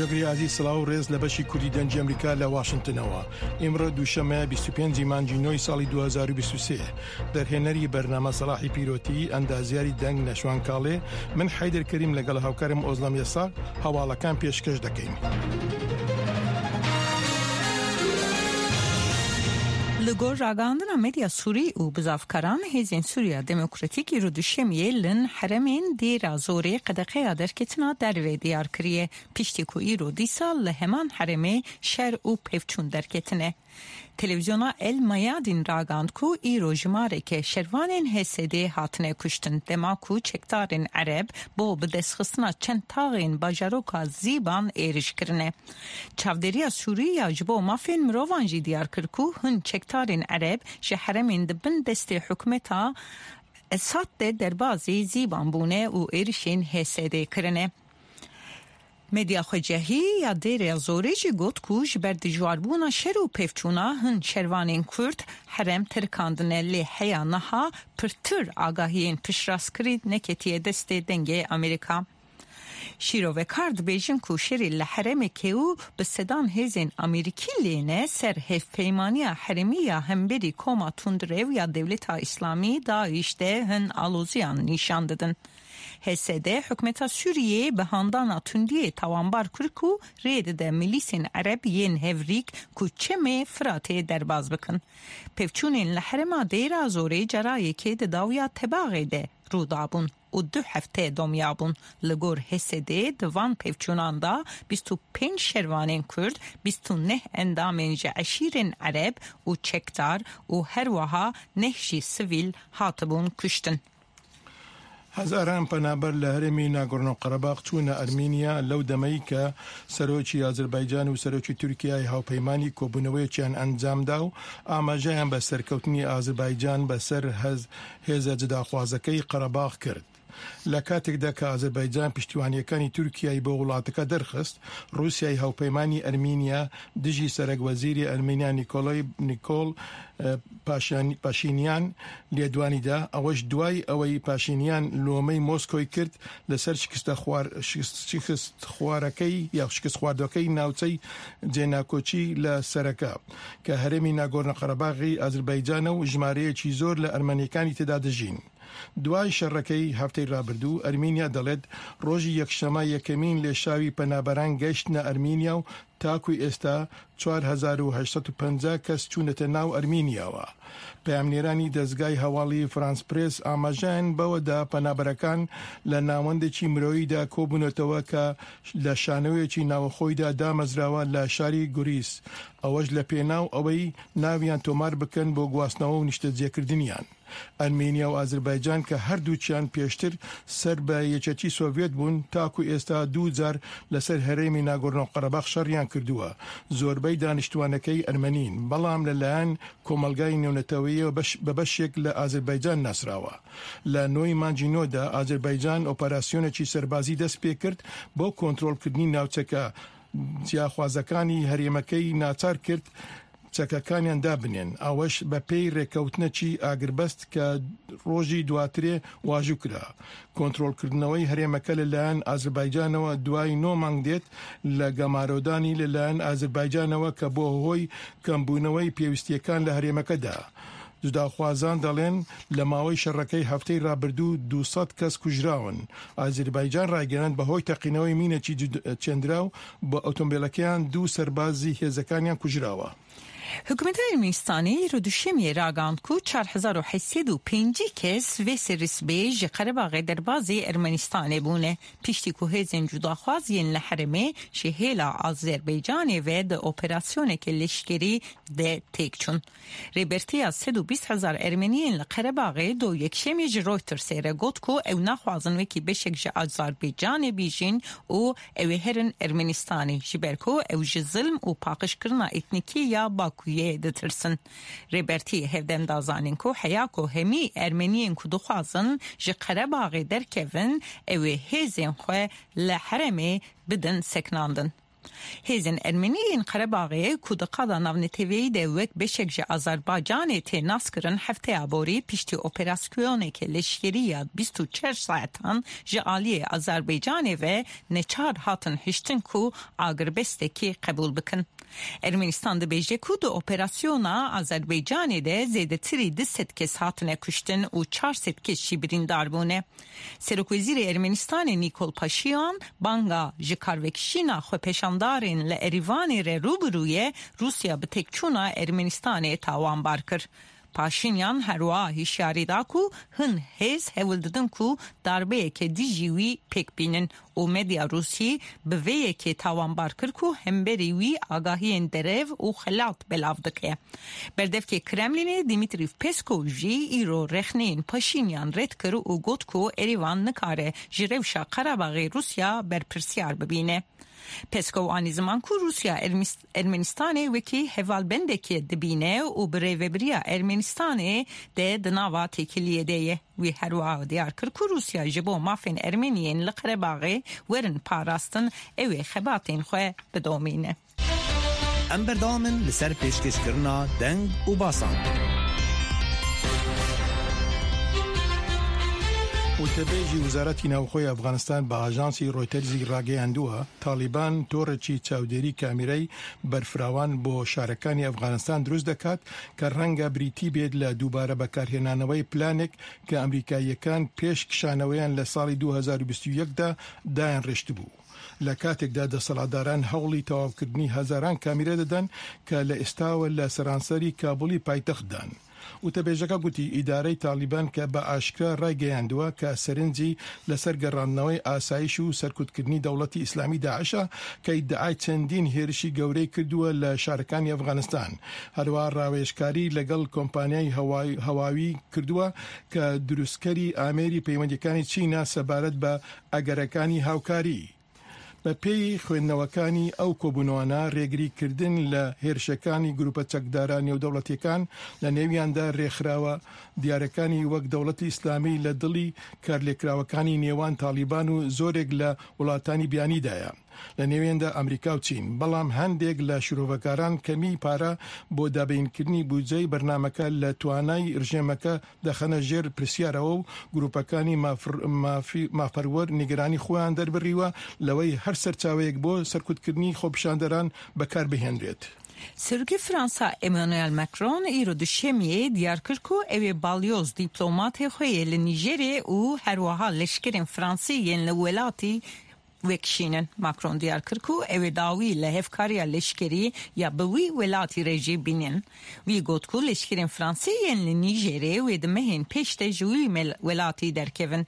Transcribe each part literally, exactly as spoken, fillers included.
جگری عزیز، سڵاو و ڕێز لە بەشی کوردی دەنگی ئەمریکا لە واشنگتنەوە. ئیمڕۆ دووشەممە بیست و پێنجی مانگی نۆی ساڵی دوو هەزار و بیست و سێ. دەرهێنەری بەرنامە سەلاحی پیرۆتی، ئەندازیاری دەنگ نەشوان کاڵێ. من حەیدەر کەریم لەگەڵ هاوکارم ئۆزلەم یەسا هەواڵەکان پێشکەش دەکەین. Li gor ragihandina medya Sûrî û bizavkaran, Hêzên Sûriya Demokratîk îro duşemiyê lin heremên Dêra Zorê qedeqeya derketina derve diyar kiriye, piştî ku îro dîsa li heman heremê şer û pevçûn derketine. Televîzyona El Mayadîn ragihand ku îro jimareke şervanên H S D hatine kuştin, dema ku çekdarên Ereb bo bidestxistina çend taxên bajaroka Zîban êriş kirine. Çavdêriya Sûrî ya ji bo mafên mirovan jî diyar kir ku hin çekdarên Ereb ji heremên di bin destê hikûmeta Esad de derbazî Zîban bûne û êrişên H S D kirine. Medya xwecihî ya Dêrê Zorê jî got ku ji ber dijwarbûna şer û pevçûna hin şervanên Kurd herem terikandine, lê heya niha pirtir agahiyên piştrastkirî neketiye destê Dengê Amerîka. Şîrovekar dibêjin ku şerê li herêmekê û bi sedan hêzên Amerîkî lê ne ser hevpeymaniya herêmî ya hemberî koma tundrew ya Dewleta Îslamî, DAIŞ, de hin aloziyan nîşan didin. H S D hikûmeta Sûriyê bi handana tundiyê tawanbar kir ku rê dide milîsên Ereb yên hevrîk ku çemê Firatê derbas bikin. Pevçûnên li herêma Dêra Zorê cara yekê di dawiya Tebaxê de rû dabûn û du hefte domya bûn. Li gor H S D di van pevçûnan de bîst û pênc şervanên Kurd, bîst û neh endamên ji eşîrên Ereb û çekdar û her wiha neh jî sivîl hatibûn kuştin. Hezaran penaber li herêmî Nagorno-Karabakh çûne Ermîniya, lew demeyî ke serokî Azerbaycan û serokî Tirkiyeyê hawpeymanî kobûneweyekîan encam da û amajeyan be serkewtinî Azerbaycan be ser hez-, hêze cidaxwazekey Karabakh kir. Lê katêk de ke Azerbaycan piştîwaniyekani Tirkiyeyê bo welatekê derxist, Rûsyayê hawpeymanî Ermîniya dijî serekwezîrê Ermîniya Nîkolay, Nîkol, e, Paşan-, Paşînyan lêdwanî da. Ew ji duway ewey Paşînyan lomey Moskoyê kir li ser şikistexwar-, şikist-, şikistxwarekey ya şikistxwardokey navçey Cênakoçî li Sereke, ke herêmî Nagorno-Karabaxê Azerbaycan e û jimareyekî zor li Ermenîkanî tê de dijîn. Duway şerekey hefteyê rabirdû, Ermîniya delet rojî yekşema yekemîn lêşawî penaberan geştine Ermîniya û ta ku êsta çar hezar û heşt sed û penca kes çûnete nav Ermîniya we. Peyamnêranî dezgay hewalî France Press amajeyan bewe da penaberekan li navendekî miroyî de kobûnetewe ke li şanowekî navxweyî de damezrawe li şarî Gurîs. Ew ji li pênaw ewey naviyan tomar bikin bo guhasnawe û nişteciyekiriniyan. Ermêniya û Azerbaycan ke her duçiyan pêştir ser bi Yeketî Sovyet bûn, ta ku êsta du car li ser herêmî Nagorno-Karabakh şeriyan kirduwe. Zorbey daniştwanekey Ermenîn, belam li layan komelgayê nêwneteweyê bi beş-, bi beşek li Azerbaycan nasrawe. Li noyê mancî nod de Azerbaycan operasyonekî serbazî dest pê kir bo kontrolkirinî navçeke. Ciyaxwazekanî herêmekey naçar kir çekekaniyan dabinên. Ew ji bi pey rêkewtinekî agirbest ke rojî duatirê wajû kira. Kontrolkirinewey herêmeke li layan Azerbaycanê we duway nod mang dêt, li gemarodanî li layan Azerbaycanê we ke bo hoy kembûnewey pêwîstiyekên li herêmeke de. Cudaxwazan delên li mawey şerekey hefteyê rabirdû du sed kes kujrawin. Azerbaycan ragihand bi hoy teqînewey mînekî cud-, çêndraw bi otomobîlekeyan du serbazî hêzekaniyan kujrawe. Hikûmeta Ermenistanê îro duşemiyê ragihand ku çar hezar û heyt sed û pêncî kes vê serî sibê ji Qerebaxê derbazî Ermenistanê bûne, piştî ku hêzên cudaxwaz yên li herêmê ji hêla Azerbaycanê ve di operasyoneke leşkerî de têk çûn. Rêbertiya sed û bîst hezar Ermeniyên li Qerebaxê do yekşemê ji Reutersê re got ku ew naxwazin wekî beşek ji Azerbaycanê bijîn û ew ê herin Ermenistanê, ji ber ku ew ji zilm û paqijkirina etnîkî ya Bakuyê ditirsin. Rêbertiyê hevdem da zanîn ku heya ku hemî Ermeniyên ku dixwazin ji Qerebaxê derkevin, ew ê hêzên xwe li herêmê bidin sekinandin. Hêzên Ermenî yên Qerebaxê ku di qada navneteweyî de wek beşek ji Azerbaycanê tê naskirin, hefteya borî piştî operasyoneke leşkerî ya bîst û çar saetan ji aliyê Azerbaycanê ve neçar hatin hiştin ku agirbestekî qebûl bikin. Ermenistan dibêje ku di operasyona Azerbaycanê de zêdetirî du sed kes hatine kuştin û çar sed kes jî birîndar bûne. Serokwezîrê Ermenistanê Nîkol Paşinyan banga ji karvekişîna xwepeşandarên li Erîvanê re rû bi rû ye Rûsya bi têkçûna Ermenistanê tawanbar kir. Paşinyan herwiha hişyarî da ku hin hêz hewl didin ku darbeyeke dijî wî pêk bînin û medya Rûsî bi vê yekê tawanbar kir ku hemberî wî agahiyên derev û xelat belav dike. Berdevkê Kremlînê Dimitrî Peskov jî îro rexneyên Paşînyan red kir û got ku Erîvan nikare ji rewşa Qerebaxê Rûsya berpirsyar bibîne. Peskov anî ziman ku Rûsya Ermis-, Ermenistanê wekî hevalbendekê dibîne û bi rêvebiriya Ermenistanê de di nava têkiliyê de ye. Wî herwiha diyar kir ku Rûsya ji bo mafên Ermeniyên li Qerebaxê werin parastin, ew ê xebatên xwe bidomîne. Em berdewam in li ser pêşkêşkirina deng û basan. Wtebêjî Wezareta Navxwe ya Efxanistan bi ajansî Reutersî ragihandiye, Talîban torekî çavdêrî kamîrayî berfirawan bo şarekanî Efxanistan dirust diket ke renge birîtî bêt li dubare bekarhênanewey planek ke Amerîkayîyekan pêş kişaneweyan li salî du hezar û bîst û yek de dayên rêştibû. Li katek de desthilatdaran hewlî tewavkirdinî hezaran kamîre didin ke li îsta we li seranserî Kabûlî paytext dan. Wtebêjeka gotî, îdarey Talîban ke bi aşkera ragihandiye ke serinc jî li ser gerandinewey asayîş û serkutkirinî dewletî Îslamî DAIŞ e, ke îdiay çendîn hêrişî gewrey kirdiye li şarekanî Efxanistan. Herwiha rawêjkarî legel kompanyayê hewayî, hewayî kirdiye ke dirustkerî amêrî peywendiyekaniya Çîn e sebaret bi egerekanî hawkarî. Bi pêyî xwendinewekaniya ew kobûnanê, rêgirîkirdin li hêrişekanî grûpa çekdara nêwdewletîyekan, li nêviyan de rêkxirawa diyarekanî wek dewletî Îslamî li dilî karlêkirawekanî nêwan Talîban û zorek li welatanî biyanî de ye. Li nêviyan de Amerîka û Çîn. Belam hindek li şîrovekaran kemî pare bo dabînkirinî bûdceyê bernameke li twanayî rejîmeke dixine jêr pirsyarê û grûpekanî mafr-, mafî-, mafperwer nîgeranî xweyan derbirî we lewey her serçaweyek bo serkutkirinî xwepişanderan bi kar bihênrêt. Serokê Fransa Emmanuel Macron îro duşemiyê diyar kir ku ew ê balyoz dîplomatê xwe yê li Nîjerê û herwiha leşkerên Fransî yên li welatî vekişînin. Macron diyar kir ku ew ê dawî li hevkariya leşkerî ya bi wî welatî re jî bînin. Wî got ku leşkerên Fransî yên li Nîjerê wê di mehên pêş de ji wî mel-, welatî derkevin.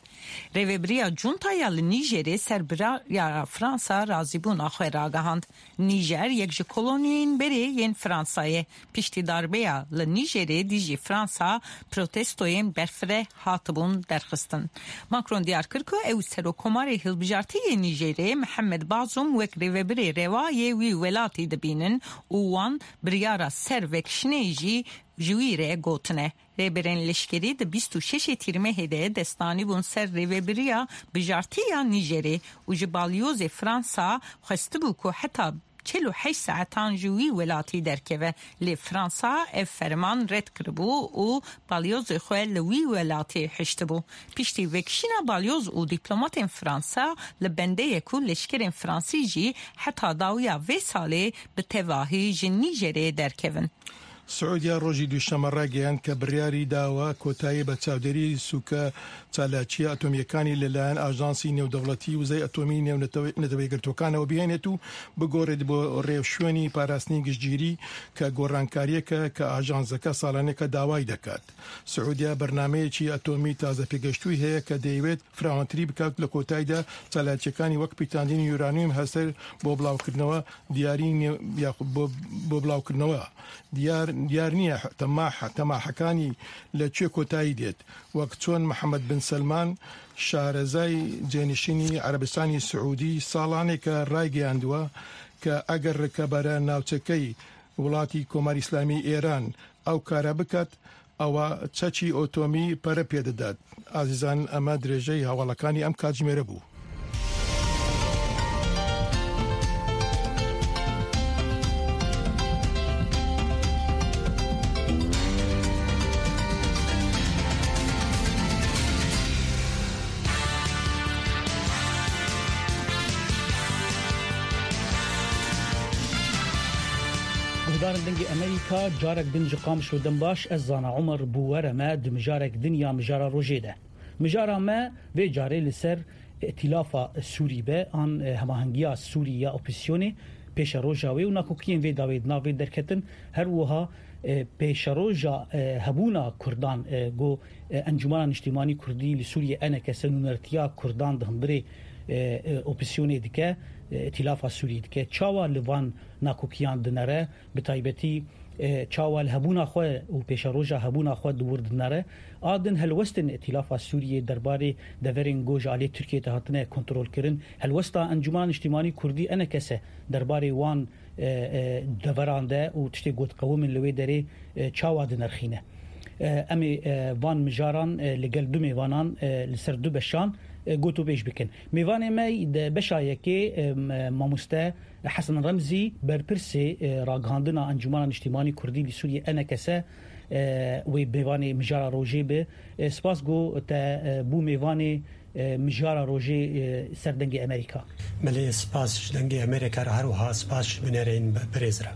Rêvebiriya Junta ya li Nîjerê ser birara Fransa razîbûna xwe ragihand. Nîjer yek ji koloniyên berê yên Fransa ye. Piştî darbeya li Nîjerê dijî Fransa protestoyên berfireh hatibûn derxistin. Macron diyar kir ku ew Serokkomarê hilbijartî yê Nîjerê Mihemed Bazûm wek rêvebirê rewa yê wî welatî dibînin û wan biryara ser vekişinê jî ji wî re gotine. Rêberên leşkerî di bîst û şeşê Tîrmehê de destdanî bûn ser rêvebiriya bijartî ya Nîjerê û ji balyozê Fransa xwestibû ku heta çil û heşt saetan ji wî welatî derkeve, lê Fransa ev ferman red kiribû û balyozê xwe li wî welatî hiştibû. Piştî vekişîna balyoz û dîplomatên Fransa li bende ye ku leşkerên Fransî jî heta dawiya vê salê bi tevahî ji Nîjerê derkevin. Siûdiya rojî Duşeme ragihand ke biryarî dawe kotayî be çavdêrî sûke çalakiya atomîyekanî li layen Ajansî Nêwdewletî Wizey Atomî Nêw Netewe-, Neteweyê Girtûkanê bihênêt û bigorêt bo rêwşwênî parastinî giştgirî ke gorankariyeke ke ajanseke salaneke dawayî dekat. Siûdiya bernameyekî atomî tazepêgeştûyî heye ke dêwêt firawantirî bikat, li kotayî de çalakiyekaniy wek pîtandinî uranyum hesir bo bilawkirinawa diyarî ne-, ya bo, bo bilawkirinawa diyar, diyar niye. Temah, temahekanî li çi kotayî dêt. Wek çon Mihemed bin Selman, şarezay cênişînî Erebistanî Siûdî, salaneke raygehandiwe ke eger rikebere navçekey welatî Komarî Îslamî Êran ew kare biket, ewa çekî otomî pere pê didet. Azîzan, eme dirêjey hewalakanî em katjimêre bû. Zarên Dengê Amerîka, carek din ji Qamişlo dem baş, ez Zana Omer bi we re me di mijarek din ya mijara rojê de. Mijara me vê carê li ser Îtîlafa Sûrî be, an, e, hemahengiya Sûrî ya opozîsyonê, pêşeroja wê û nakokiyên vê dawê di nav vê derketin, her wiha, e, pêşeroja, e, hebûna Kurdan, e, ku, e, Encûmena Niştîmanî Kurdî li Sûriyê, E N K S, nûnertiya Kurdan di hundirê, e, e, opozîsyonê dike, e, Îtîlafa Sûrî dike. Çawa li van nakokiyan dinere, bi taybetî, e, çawa li hebûna xwe û pêşeroja hebûna xwe di wir dinere. A din helwestên Îtîlafa Sûriyê derbarê deverên ku ji alî Tirkiyê te hatine kontrolkirin. Helwesta Encûmena Niştîmanî Kurdî, E N K S, derbarê wan, e, e, deveran de û tiştê ku diqewimin li wê derê, e, çawa dinirxîne. E, em ê, e, van mijaran, e, li gel du mêvanan, e, li ser du beşan, e, gotûbêj bikin. Mêvanê me di beşa yekê, e, m-, mamoste Hesen Remzî, berpirsê, e, ragihandina Encûmena Niştîmanî Kurdî li Sûriyê, E N K S, e, wê mêvanê mijara rojê be. E, spas ku te, e, bû mêvanê, e, mijara rojê, e, ser Dengê Amerîka. Belê, spas ji Dengê Amerîka re, her wiha spas ji binerên be-, birêz re.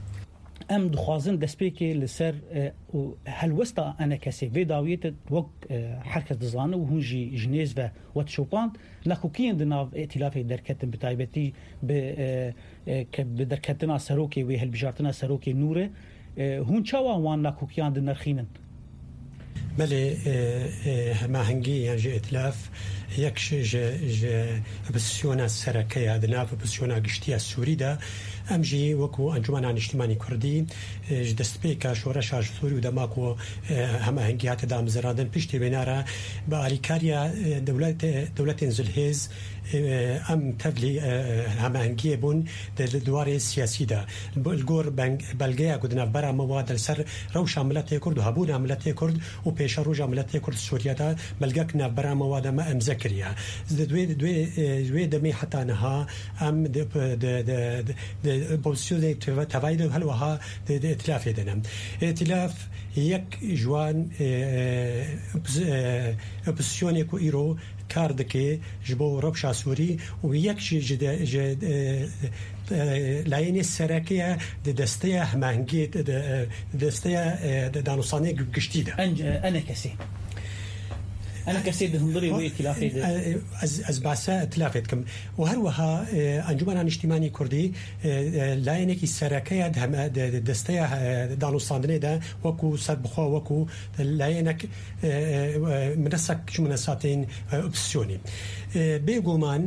Em dixwazin destpêkê li ser, e, û helwesta E N K S'ê vê dawiyê te wek, e, her kes dizane û hûn jî ji nêz ve we dişopand, nakokiyên di nav îtîlafê derketin, bi taybetî bi, e, e, ke bi derketina serokê wê, hilbijartina serokê nû re, e, hûn çawa wan nakokiyan dinirxînin? Belê, e, e, hemahengî yan jî îtîlaf yek ji, ji, ji opozîsyona sereke ye di nav opozîsyona giştî ya Sûrî de. Em jî wekû Encûmena Niştîmanî Kurdî, e, ji destpêka şoreşa ji Sûrî û dema ku, e, hemahengî hate damezrandin, piştî wêna re bi alîkariya, e, dewlet-, dewletên zilhêz, e, em tevlî, e, hemahengiyê bûn di, di warê siyasî de. Li gor beng-, belgeya ku di navbera me wa de li ser rewşa miletê Kurd û hebûna miletê Kurd û pêşeroja miletê Kurd Sûriye de belgek navbera me wa de me imze kiriye. Di wê, di wê, e, wê demê heta niha em di, di, di, di, di opozîsyonê teva-, tevayî de hel wiha di, di îtîlafê de ne. Îtîlaf yek ji wan, e, e, opozi-, e, opozîsyonê ku îro kar dike ji bo rewşa Sûrî û yek ji, ji de, ji, e, e, layênê sereke ye di desteya hemahengiyê, di, di, e, desteya, e, di danûstandinê gi-, giştî de. En-, e, E N K S'ê. E N K S'ê di hundirê wê îtîlafê de. E, e, ez, ez behsa îtîlafê dikim. Û her wiha, e, Encûmena Niştîmanî Kurdî, e, e, layênekî sereke ye di heme-, di, di desteya, e, danûstandinê de wekû serbixwe, wekû layênek, e, e, e, minesek ji minesatên, e, opozîsyonê. E, bêguman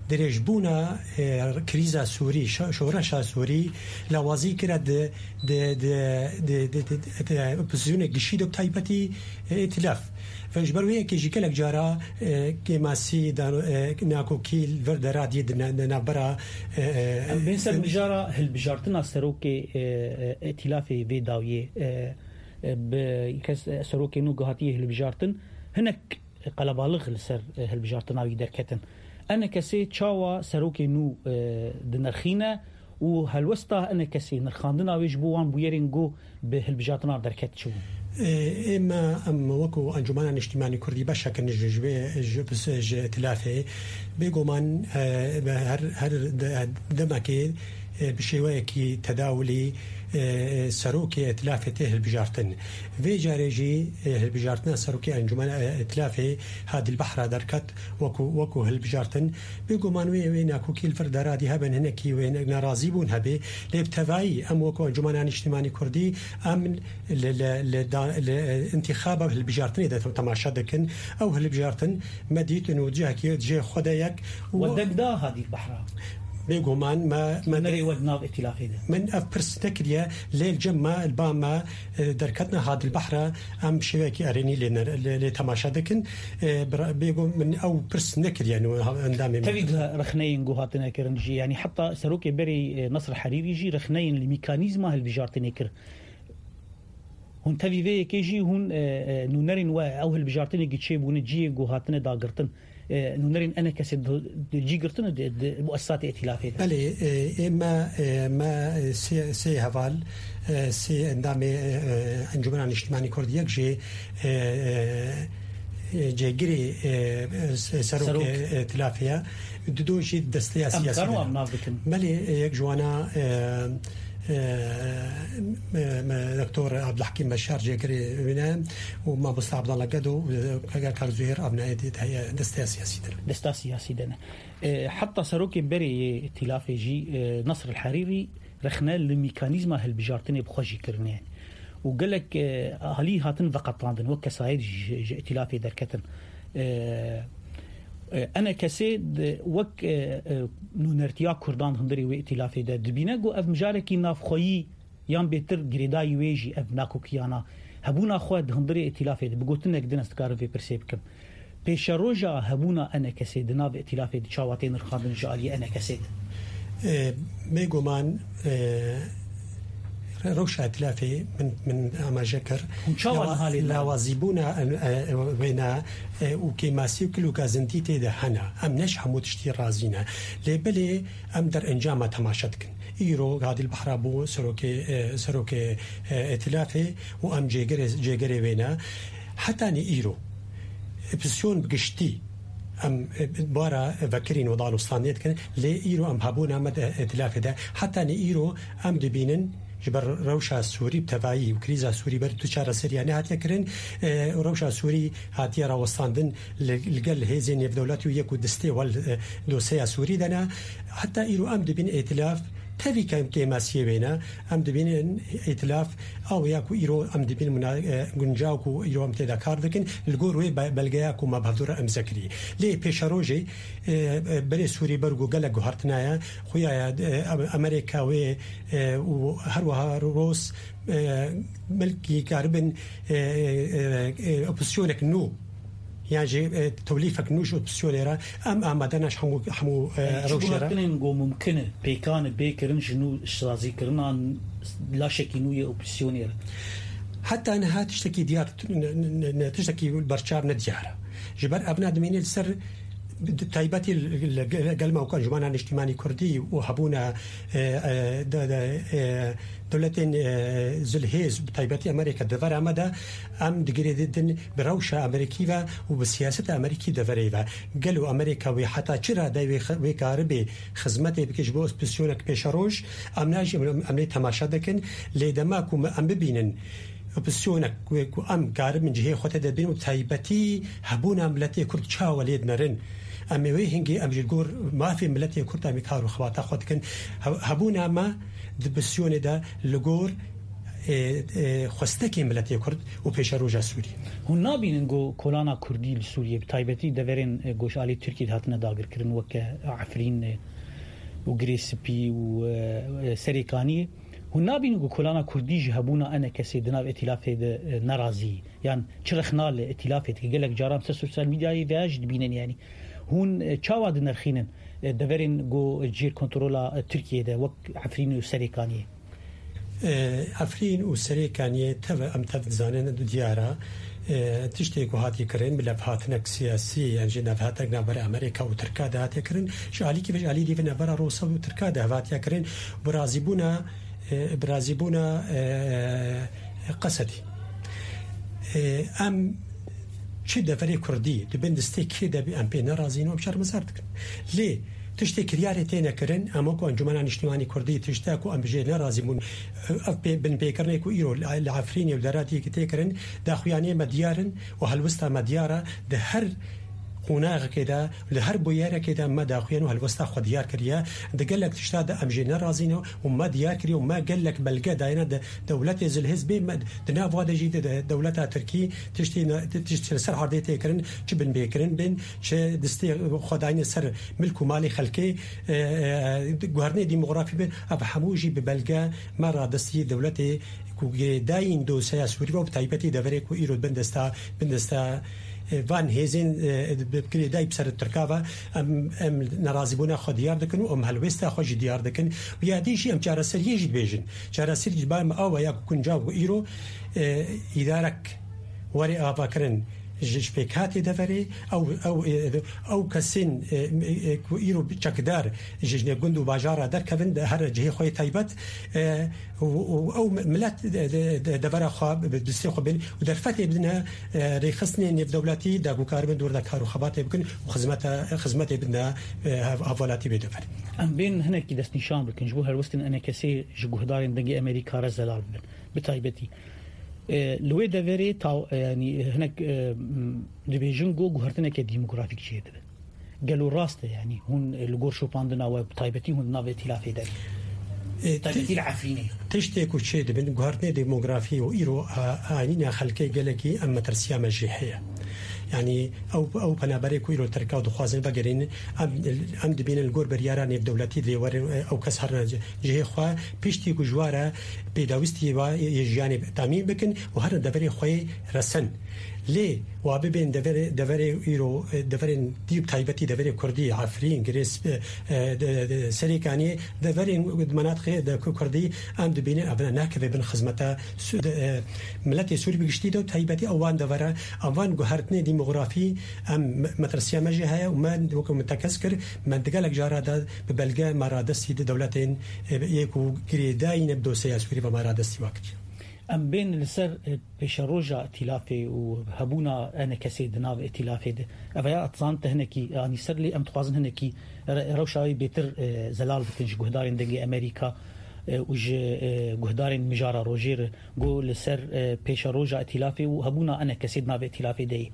dirêjbûna, e, krîza Sûrî, şo-, şoreşa Sûrî lawazî kire di, di, di, di, di, di, di, di opozîsyonê gişî de bi taybetî, e, îtîlaf. Ve ji ber wê yekê jî gelek cara, e, kêmasî dan-, e, nakokî li vir deradiyê di ne-, di navbera, e, e, Em bên ser e, mijara hilbijartina serokê, e, e, îtîlafê vê dawiyê, e, e, bi kes, e, serokê nû ku hatiye hilbijartin, hinek qelebalix li ser, e, hilbijartina wî derketin. E N K S'ê çawa serokê nû, e, dinirxîne û helwesta E N K S'ê, nirxandina wê ji bo wan bûyerên ku bi hilbijartina derket çi bûn? E, ê me, em wekû Encûmena Niştîmanî Kurdî beşek in ji, ji wê, ji, ji îtîlafê. Bêguman, e, her, her de-, demekê, e, bi şêweyekî tedawulî, e, serokê îtîlafê tê hilbijartin. Vê carê jî, e, hilbijartina serokê Encûmena, e, Îtîlafê Hadî Bahra derket wekû, wekû hilbijartin. Bêguman wê, wê nakokî li vir deradî hebe, hinekî wê ne-, nerazîbûn hebe. Lê bi tevayî em wekû Encûmena Niştîmanî Kurdî em li, li, li da-, li, e, întîxaba hilbijartinê de temaşe dikin. Ew hilbijartin me dîtin û cihekî cihê xwe de yek û We deng da Hadî Bahra? Bêguman me, me Nerê we di nav îtîlafê de? Min ev pirs nekiriye, lê li cem me, li ba me, e, derketina Hadî Bahra em bi şêweyekî erênî lê ner-, lê, lê temaşe dikin. E, bira-, bêguman min ew pirs nekiriye, nû ha-, endamê min. Tevî de rexneyên ku hatine kirin jî, yanî heta serokê berê, e, Nasr Herîrî jî rexneyên li mîkanîzma hilbijartinê kir. Hûn tevî vê yekê jî hûn, e, e, nûnerên we, ew hilbijartinê ku çêbûne, cihê ku hatine dagirtin, e, nûnerên E N K S'ê di, di cî girtine di, di muessisatê îtîlafê de? Belê, e, ê me, e, me, e, sê, sê heval, e, sê endamê, e, e, Encûmena Niştîmanî Kurdî, yek jê, e, e, e, cêgirê, e, e, serokê Serok. îtîlafê ye. Dido jî desteya Em siyasî karin de. Wan nav bikin. Belê, e, yek ji wana, e, e, me, me, Doktor Abdulhakim Beşar cêgirê wî ne û Mamosta Abdallah Gedo û Kak Zuhêr Avnayê dê heye desteya siyasî de ne. Desteya siyasî de ne. E, heta serokê berê yê îtîlafê jî, e, Nasr el Herîrî rexne li mekanîzma hilbijartinê bi xwe jî kirine. Û gelek, e, alî hatin veqetandin, wek kesayet jî ji, ji îtîlafê derketin. E, e, enekesê di, wek, e, e, nûnertiya Kurdan di hundirê wê îtîlafê de dibîne ku ev mijarekî navxweyî yan bêtir girêdayî wê jî ev nakokiyana hebûna xwe di hundirê îtîlafê de bi gotinek din ez dikarim vê pirsê bikim. Pêşeroja hebûna enekesê di nav îtîlafê de çawa tê nirxandin ji aliyê enekesê de? E, bêguman, e, re-, rewşa îtîlafê min, min amaje kir. Hûn çawa Lawa-, niha lê dinerin? Lawazîbûna, e, e, wêna, e, û kêmasî û kil û gazintî tê de hene. Em ne ji hemû tiştî razî ne. Lê belê em derencama temaşe dikin. Îro Gadîl Behra bû serokê, e, serokê, e, îtîlafê û em cêgirê, cêgirê wê ne. Hetanî îro, opozîsyon bi giştî, em, e, bara vekirîn û danûstandinê dikin, lê îro em hebûna me di îtîlafê de. Hetanî îro em dibînin, ji ber rewşa Sûrî bi tevayî û krîza Sûrî ber tu çareseriya nehatiye kirin, e, rewşa Sûrî hatiye rawestandin li, li gel hêzên nêvdewletî û yek û distê wel, e, dosyeya Sûrî de ne. Heta îro em dibînin îtîlaf tevî kem kêmasiyê wê ne. Em dibînin îtîlaf ew ya ku îro em dibînin muna-, e, guncaw ku îro em tê de kar dikin, li gor wê be-, belgeya ku me bi hevdû re imze kirî. Lê pêşerojê, e, e, berê Sûrî ber ku gelek guhertina ye, xuya ye, e, Amerîka wê, e, û her wiha Rûs, e, belkî karibin, e, e, e, opozîsyonek nû, yan jî, e, tewlîfek nû ji opozîsyonê re, em amade ne ji hemû, hemû, e, rewşê re. Çi guhertinên ku mumkin e, pêkan e, bê kirin ji nû sazîkirina laşekî nû yê opozîsyonê re? Heta niha tiştekî diyar, ne, ne, ne, tiştekî berçav ne diyar e. Ji ber ev ne dimîne li ser, bi taybetî li, li, li gel me wek Encûmena Niştîmanî Kurdî û hebûna, e, e, de, de, e, dewletên, e, zilhêz, bi taybetî Amerîka di vera me de, em digirê didin bi rewşa Amerîkî ve û bi siyaseta Amerîkî deverê ve. Gelo Amerîka wê heta çi radeyê wê xi-, wê karibê xizmetê bike ji bo opozîsyonek pêşeroj, em ne jî, em, em lê temaşe dikin, lê dema ku me, em bibînin, opozîsyonek wê ku em karibin cihê xwe tê de bînin û taybetî hebûna miletê Kurd çawa lê dinerin. Em ê wê hingê em ji gor mafê miletê Kurd em ê kar û xebata xwe dikin. He-, hebûna me di opozîsyonê de li gor, e, e, xwestekê miletê Kurd û pêşeroja Sûrî. Hûn nabînin ku kolana Kurdî li Sûriyê, bi taybetî deverên, e, ku ji alî Tirkiyê hatine dagirkirin, weke Efrîn, e, û Girê Spî û, e, e, Serêkaniyê, hûn nabînin ku kolana Kurdî ji hebûna enekesê di nav îtîlafê de, e, nerazî, yan çi rexna li îtîlafê dike? Gelek caran ser sosyal medyayê veya jî dibînin, yanî hûn, e, çawa dinirxînin, e, deverên ku jêr kontrola, e, Tirkiyê de wek Efrîn û Serêkaniyê? E, Efrîn û Serêkaniyê tev, em tev dizanin, diyar e. E, tiştê ku hatiye kirin, bi levhatinek siyasî, yan jî levhatek navbera Amerîka û Tirka de hatiye kirin, ji alîkî ve, ji alî dî ve navbera Rûsa û Tirka de hev hatiye kirin, bi razîbûna, e, bi razîbûna, e, Qesedî. E, em çi deverê Kurdî di bin destê kê de bî, em pê nerazî ne, em şermezar dikin. Lê tiştê kiryarê têne kirin, em wekî Encûmena Niştîmanî Kurdî tişta ku em jê nerazî bûn, ev pê-, binpêkirinê ku îro li, li Efrînê û deratiyekî tê kirin, daxuyaniyê me diyar in û helwesta me diyar e. Di her qonaxekê de, li her bûyerekê de me daxuyan û helwesta xwe diyar kiriye. Di gelek tişta de em jê nerazî ne û me diyar kiriye û me gelek belge dayene de dewletê zilhêz bê me, di nav wa de jî de, de dewleta Tirkî tiştê ne, ti-, tişt li ser erdê tê kirin, çi binpêkirin bin, çi destê xwe dayine ser milk û malê xelkê, e, e, guherinê demografî bin, ev hemû jî bi belge me radestî dewletê ku girêdayîn dosyeya Sûrî ve û bi taybetî deverê ku îro bin desta, bin desta, e, van hêzên, e, bi girêdayî bi ser Tirka ve em, em nerazîbûna xwe diyar dikin û em helwêsta xwe jî diyar dikin. Û ya dî jî em çareseriyê jî dibêjin. Çareserî ji bar me awa ya ku kunca ku îro, e, îdarek were avakirin, Ji, ji pêkhatê deverê, ew, ew, e, ew kesên, e, e, ku îro çekdar ji, ji nêv gund û bajara derkevin, de her cihê xwe yê taybet, e, û, û ew milet de, de, de, devera xwe bi destê xwe bên û derfetê bidine, e, rêxistinê nêvdewletî de ku karibin dor de kar û xebatê bikin û xizmete, xizmetê bidine, e, hev-, hevalatî bê dever. Em bên hinekî destnîşan bikin, ji bo helwestên enekesê ji guhdarên Dengê Amerîka re zelal bibin. Bi taybetî, e, li wê deverê ta-, e, yanî hinek, e, m, dibêjin ku guhertineke demografîk çêdibe. Gelo rast e, yanî hûn, e, li gor şopandina we, bi taybetî hûn di nav îtîlafê de ne? E, taybetî li Efrînê. Tiştê ku çêdibin, guhertinê demografî û îro a-, anîna xelkê gelekî em metirsiya me jê heye. Yanî ew, ew penaberê ku îro li Tirka dixwazin vegerînin, em, em dibînin li gor biryara nêvdewletî divê werin, e, ew kes herin cihê xwe, piştî ku ji wa re pêdawîstiyê wa yê jiyanê temîm bikin û herin deverê xwe yê resen. Lê wa bibên deverê, deverê îro, e, deverên dî bi taybetî deverê kurdî, Efrîn, Girê Sp-, e, de, de, Serêkaniyê, deverên di menatixê de ku kurdî em dibînin ev ne, nakeve bin xizmeta Su-, de, e, miletê Sûrî bi giştî de û taybetî ew wan devera, ev van guhertinê demografî em me-, metirsiya me jê heye û me weke min tekez kir, me di gelek cara de bi belge me radestî di dewletên, e, yê ku girêdayî ne bi dosyeya Sûrî ve me radestî wa kiriye. Em bên li ser, e, pêşeroja îtîlafê û hebûna enekesê di nav îtîlafê de. Ev ya dizan te hinekî anî ser, lê em dixwazin hinekî re-, rewşa wê bêtir, e, zelal bikin ji guhdarên Dengê Amerîka, e, û ji, e, guhdarên Mijara Rojê re, ku li ser, e, pêşeroja îtîlafê û hebûna enekesê di nav îtîlafê de ye.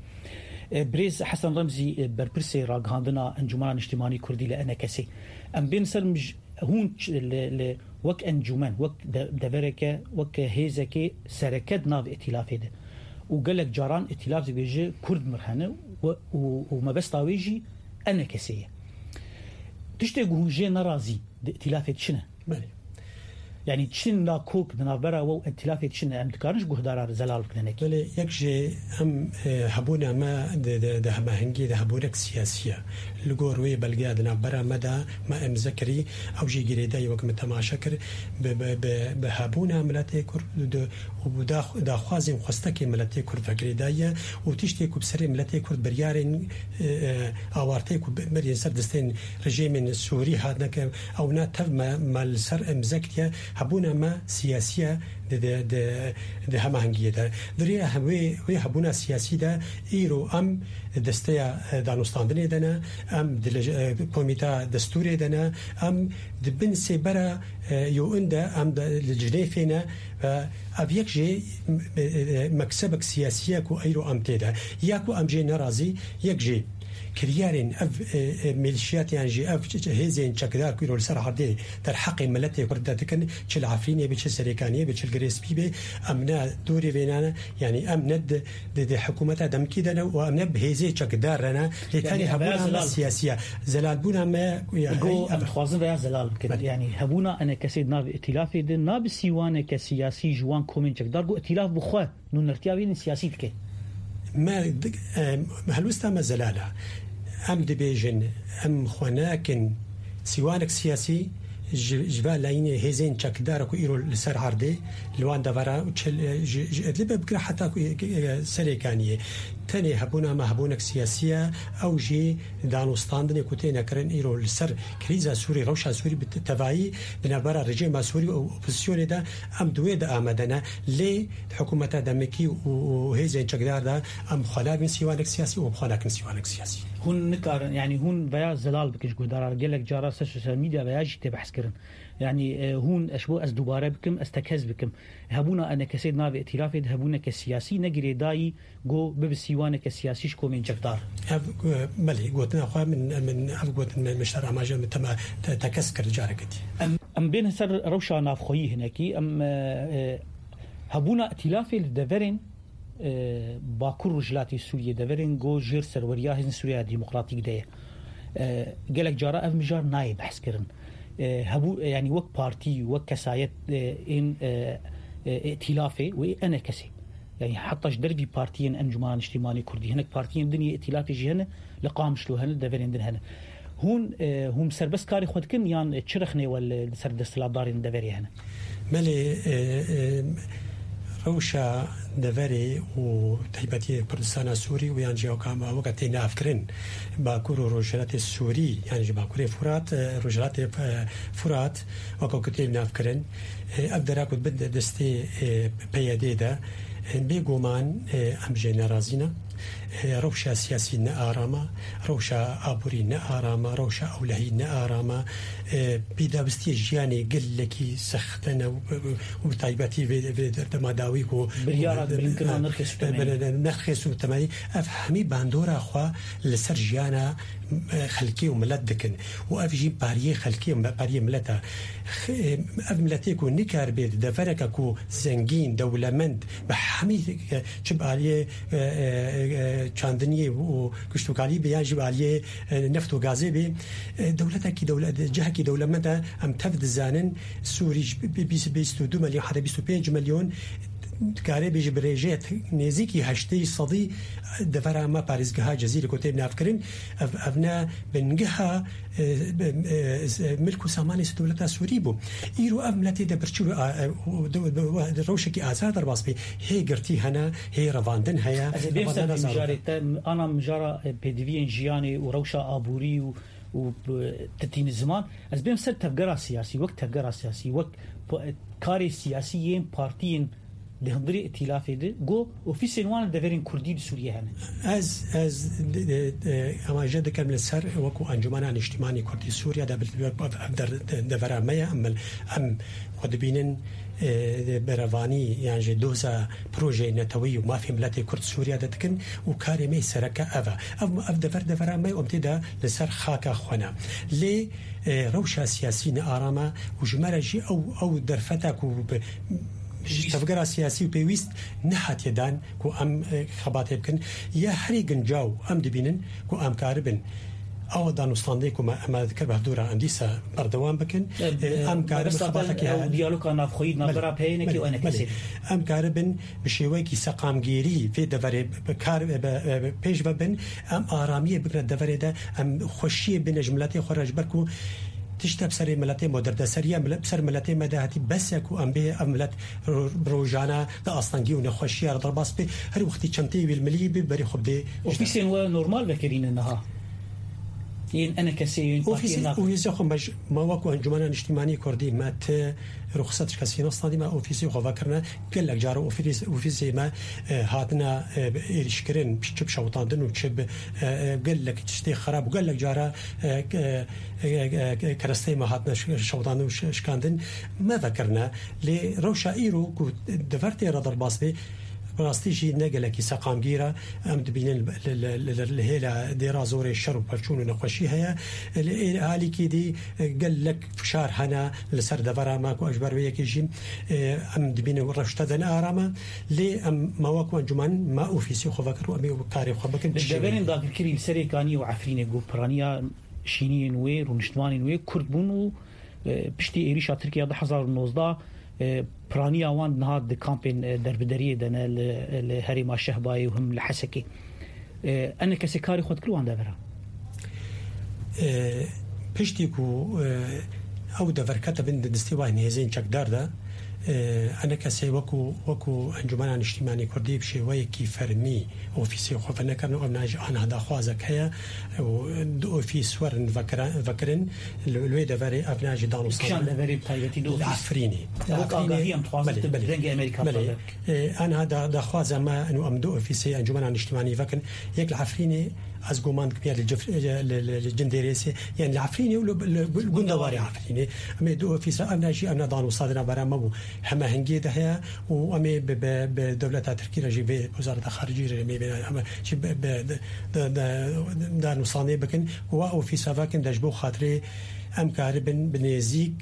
E, birêz Hesen Remzî, e, berpirsê ragihandina Encûmena Niştimanî Kurdî li enekesê. Em bên ser mij-, Hûn ç-, li, li, wek encûmen, wek de-, devereke, wek hêzekê sereke di nav îtîlafê de û gelek caran îtîlaf dibêje Kurd mir hene û, û, û mebesta wê jî enekesê ye. Tiştê ku hûn jê nerazî di îtîlafê de çi ne? Belê. Yanî çi nakok di navbera we û îtîlafê de çi ne? Em dikarin ji guhdara re zelal bikin hinekî? Belê, yek jê em, e, hebûna me di, di, di hemahengiyê de hebûnek siyasî ye. Li gor wê belgeya di navbera me de me îmze kirî, ew jî girêdayî wek min temaşe kir, bi, bi, bi, bi hebûna miletê Kurd di, û bi dax-, daxwazên xwestekên miletê Kurd ve girêdayî ye û tiştê ku bi serê miletê Kurd biryarên, e, e, awarteyê ku bi-, berî ser destên rejîmên Sûrî hatine ke ew ne tev me, me li ser îmze kiriye, hebûna me siyasî ye, di, di, di, di hemahengiyê de. Di rêya hem wê, wê hebûna siyasî de îro em di desteya, e, danûstandinê de ne, em di lej-, e, komîta destûrê de ne, em di bin sêbera, e, U N de, em de li Cinêfê ne. Ve ev yek jê, e, e, meksebek siyasî ye ku îro em tê de. Ya ku em jê nerazî, yek jê kiryarên ev, e, e, milîşiyat yan jî ev ç-, ç-, hêzên çekdar ku îro li ser erdê derheqê miletê Kurd de dikin, çi li Efrînê be, çi Serêkaniyê be, çi li Girê Spî be, em ne dorê vêna ne, yanî em ne di, di, di hikûmeta demkî de ne û em ne bi hêzê çekdar re ne, lê Yanî tenê em hebûna me zelal siyasî ye. Zelalbûna me, ya, Go, ev em dixwazin veya zelal bikin. Belê. Yanî hebûna enekesê di nav îtîlafê de, na bi sîwaneke siyasî ji wan komên çekdar, go îtîlaf bi xwe nûnertiya wê yên siyasî dike. Me di-, em, helwesta me zelal e. Em dibêjin, em xwe nakin sîwanek siyasî ji, ji va layînê hêzên çekdar ku îro li ser erdê, li wan devera û çil-, ji, ji Idlibê bigire heta ku, e, e, Serêkaniyê. Tenê hebûna me hebûnek siyasî ye, ew jî danûstandinê ku têne kirin îro li ser krîza Sûrî, rewşa Sûrî bi te-, tevayî di navbera rejîma Sûrî û opozisyonê de em di wê de amade ne. Lê di hikûmeta demekî û, û hêzên çekdar de em xwe nabin sîwanek siyasî û em xwe nakin sîwanek siyasî. Hûn nikarin, yanî hûn veya zelal bikin ji guhdara re. Gelek cara ser sosyal medya veya jî tê behs kirin. Yanî, e, hûn, ez ji bo ez dubare bikim, ez tekez bikim. Hebûna enekesê di navê îtîlafê de hebûneke siyasî, ne girêdayî go bibe sîwaneke siyasî ji komên çekdar. Ev, e, belê, gotina xwe min, min ev gotin me, min ji te re amaje min tema-, te-, tekez kir careke dî. Em, em bên ser rewşa navxweyî hinekî, em, e, e, hebûna îtîlafê li deverên, e, Bakur Rojhilatê Sûriyê, deverên go jêr serweriya Hêzên Sûriya Demokratîk de ye. E, gelek cara ev mijar nayê behs kirin. E, hebû-, yanî wek partî, wek kesayet, e, ên, e, e, îtîlafê wê enekesê. Yanî heta ji dervî partiyên Encûmena Niştîmanî Kurdî, hinek partiyên din yê îtîlafê jî hene, li Qamişlo hene, li deverên din hene. Hûn, e, hûn serbest karê xwe dikin yan çi rexnê we li, li ser desthilatdarên deverê hene? Belê, e, e, Rewşa deverê û taybetiyê Kurdistana Sûrî û yan jî weka, weke tê navkirin Bakur û Rojhilatê Sûrî, yan jî Bakurê Furat, e, Rojhilatê, e, Furat, weka ku tê navkirin, e, ev dera ku bin destê, e, P Y D de, e, bêguman, e, em jê nerazî ne. E, rewşa siyasî ne arama, rewşa aborî ne arama, rewşa ewlehî ne arama. E, pêdawistiyê jiyanê gelekî sext hene û, û, û bi taybetî vê, vê dema dawî ku Biryara bilinkirina nirxê sûtemenî. Nirxê sûtemenî, ev hemî bandora xwe li ser jiyana, e, xelkê û milet dikin û ev jî pariyê xelkê û pariyê milet e. X-, e, ev miletê ku nikaribe di devereke ku zengîn, dewlemend, bi hemî, e, çi bi aliyê, e, e, e, çandiniyê û kuştokalî be yan jî bi aliyê, e, neft û gazê be, e, dewletekî dewle-, cihekî dewlemend e, em tev dizanin, Sûrî ji bi-, bi-, bîst, bîst û du milyon heta bîst û pênc milyon dikare bêje bi rêjeyek nêzîkî heştê sedî devera me parêzgeha Cezîrê ku tê navkirin, ev, ev ne bingeha, e, e, e, milk û samanê dewleta Sûrî bû. Îro ev miletê de birçî, e, e, û de, de, de rewşekî azad derbas bê. Hê girtî hene, hê revandin heye. Ez ê bêm ser revandina vî mijarê zarok. Te, ana mijara, e, pêdiviyên jiyanê û rewşa aborî û, û, e, titînî ziman. Ez bêm ser tevgera siyasî, wek tevgera siyasî, wek po-, e, karê siyasî yên partiyên di hundirê îtîlafê de, ku ofîsên wan li deverên kurdî li Sûriyê hene. Ez, ez, e, e, amaje dikim li ser wekû Encûmena Niştîmanî Kurdî Sûriye de bi, bi, ev der-, de-, devera me ye, em, em xwe dibînin, e, berevanî yan jî doza projeyê neteweyî û mafê miletê Kurd Sûriye de dikin û karê me yê sereke ev e. Ev, ev dever devera me ye û em tê de li ser xaka xwe ne. Lê, e, rewşa siyasî ne arama û ji me re jî ew, ew derfeta ku bi, ji tevgera siyasî û pêwîst nehatiye dan ku em, e, xebatê bikin. Ya herî gincaw em dibînin ku em karibin ew danûstandê ku me, me dikir bi hevdû re em dîsa berdewam bikin. E, E, em karibin mebesta xebatekî ew he- diyaloga navxweyî di Belê, navbera P Y N'ekî û belê, N K S'ê belê. Em karibin bi şêweyekî seqamgêrî vê deverê bi kar, bi, bi, bi pêş ve bin. Em aramiyê bigre deverê de, em xweşiyê bîne ji miletê xwe re, ji ber ku tişte bi serê miletê me, derdeseriya mile-, bi ser miletê me de hatî bes e ku em bê ev milet ro-, rojane di astengî û nexweşiya re derbas bê. Her wextî çenteyê wî li milî bê, berê xwe bidê. Ofîsên we normal vekirîne niha? Yên N K S'ê, yên Ofîsê, partiyên nav- ofîsê xwe me ji, me wekû Encûmena Niştîmanî Kurdî me ti ruxsat ji kesî nestandî, me ofîsê xwe vekirine. Gelek cara ofîs-, ofîsê me, e, hatine, e, êrîşkirin, çi bi şewitandin û çi bi, e, e, gelek tiştê xerab û gelek cara, e, e, e, e, e, keresteyê me hatine ş-, şewitandin û ş-, şikandin, me vekirine. Lê rewşa îro ku dever tê re derbas bê, bi rastî jî ne gelekî seqamgîr e. Em dibînin li, li, li, li, li hêla dêra zorê şer û pevçûn û nexweşî heye. Li ê-, alîkî dî, e, gelek fişar hene li ser devera me ku ji ber wê yekê jî, e, em dibînin rewşte de ne aram e. Lê em me wek encûmen me ofîsê xwe vekir û em ê karê xwe bikin. Li deverên dagirkirî li Serêkaniyê û Efrînê ku piraniya şîniyên wê, rûniştvanên wê Kurd bûn û, e, piştî êrîşa Tirkiye du hezar û nozdeh, e, piraniya wan niha di kampên, e, derbideriyê de ne, li, li herêma Şehbayê û him li Hesekê. E, N K S'ê karê xwe dikir wan devera? E, piştî ku, e, ew dever kete bin destê wahên hêzên çekdar de, e, N K S'ê wekû, wekû Encûmena Niştîmanî Kurdî bi şêweyekî fermî ofîsê xwe venekirin û em nayê jî anha daxwazek heye û du ofîs werin vekira-, vekirin. Li, li wê deverê ev ne jî danûstandin. Kîjan deverê bi taybetî du ofîs? Li Efrînê. Ew Efrînê, agahî em dixwazin belê, tu bi belê. Dengê Amerîka Belê. Parve bike. E, anha da, daxwaza me û em du ofîsê Encûmena Niştîmanî vekin. Yek li Efrînê, ez guman dikim ya li Cif-, li, li, li Cindêrêsê, yani li Efrînê û li, li, li gundewarê Efrînê. Em ê du ofîsa, ev ne jî, ev ne danûstandina bera me bû. Heme hingê de heye û em ê bi, bi, bi dewleta Tirkî re jî, vê wezareta xaricî re, em ê, em ê jî bi, bi, de, de, de, danûstandê bikin û wa ofîsa vekin de ji bo xatirê em karibin bi nêzîk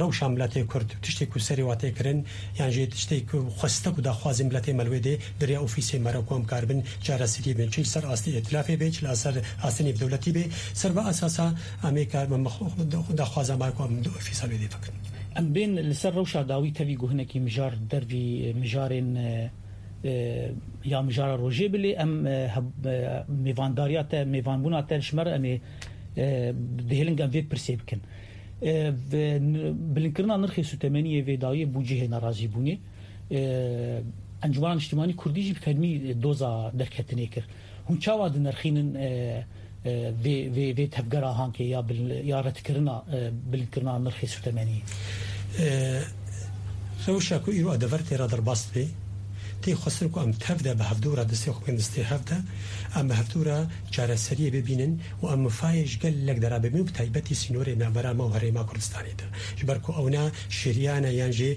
rewşa miletê Kurd, tiştê ku serê wa tê kirin, yan jî tiştê ku xwestek û daxwazê miletê me li wê dê, di rêya ofîsê me re ku em karibin çareserî bin, çi li ser astê îtilafê bê, çi li ser astê nêvdewletî bê, ser ve esasa em ê karibin me xwe, xwe, daxwaza me ku em di ofîsa wê dê vekin. Em bên li ser rewşa dawî tevî ku hinekî mijar dervî mijarên, e, e, ya mijara rojê bilê, em, e, heb-, e, mêvandariya te, mêvanbûna te ji me re em ê, e, dihêlin em vê pirsê bikin. E, ve n-, bilinkirina nirxê sûtemeniyê vê dawiyê bû cihê nerazîbûnê. E, Encûmena Niştimanî Kurdî jî bi fermî doza derketinê kir. Hûn çawa dinirxînin, e, e, vê, vê, vê tevgera hankê ya bil-, ya redkirina, e, bilindkirina nirxê sûtemeniyê? E, rewşa ku îro e dever tê re derbas dibe, tê xwestir ku em tev de bi hevdû re destê xwe bikin destê hev de, em bi hevdû re çareseriyê bibînin û em mifayê ji gelek dera bibînin, bi taybetî sînorê navbera me û herêma Kurdistanê de. Ji ber ku ew ne şeriyane yan jî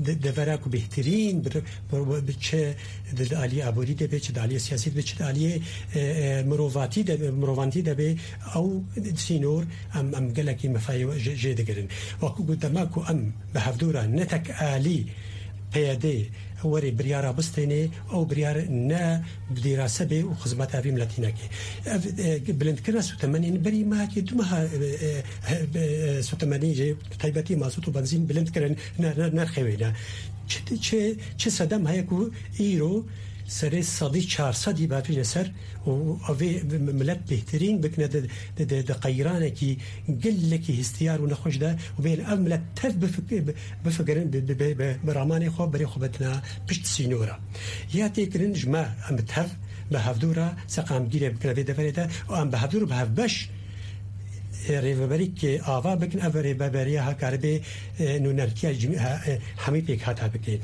de-, devera ku bêhtirîn bi, bi, bi çi di, di aliyê aborî de be, çi di aliyê siyasî de be, çi di aliyê, e, e, mirovatî de be, mirovantî de be, ew sînor em, em gelekî mifayê jê, jê digirin. Wek ku dema ku em bi hevdû re ne tek alî P Y D were biryara bistêne, ew biryar ne bi dîrase be û xizmeta vî miletî neke. Ev, e, bilindkirina sûtemenên berî mehekê du meha, e, e, e, e, sûtemenî jê, bi taybetî mazot û benzîn bilind kirin, ne, ne, nirxê wê ne. Çi, çi, çi sedem heye ku îro serê sedî çar sedî bavîne ser û evê milet bêhtirîn bikine di, di, di, di qeyranekî gelekî hestiyar û nexweş de û bêhn ev milet tev bifik-, bi-, bifikirin, bi, bi, bi, bi, bi ramanê xwe berê xwe betina pişt sînora. Ya tê kirin ji me em bi tev, bi hevdû re seqamgîrê bikine vê deverê de û em bi hevdû re bi hevbeş, e, rêveberîk ava bikin, ev rêveberiya ha karibe, e, nûnertiya cim-, ha, e, hemî pêkhata bike.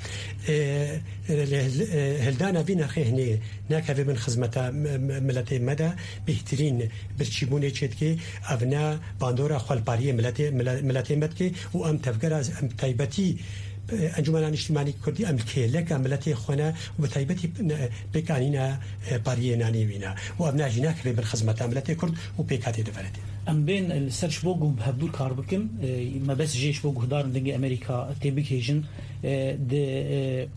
E, e, hil-, e, hildana vî nirxê hinê nekeve bin xizmeta m-, m-, miletê me de bêhtirîn birçîbûnê çêdike, ev ne bandora xwelpariyê miletê, mile-, miletê me dike û em tevgera, em taybetî, e, Encûmena Niştimanî Kurdî, em kêleka miletê xwe ne û bi taybetî ne, pêkanîna, e, pariyê nanê wî ne û ev ne jî nekeve bin xizmeta miletê Kurd û pêkhatê deverê de. Em bên li ser ji bo ku bi hevdû kar bikin, e, me bes jê ji bo guhdarên Dengê Amerîka tê bigihêjin, e, di, e,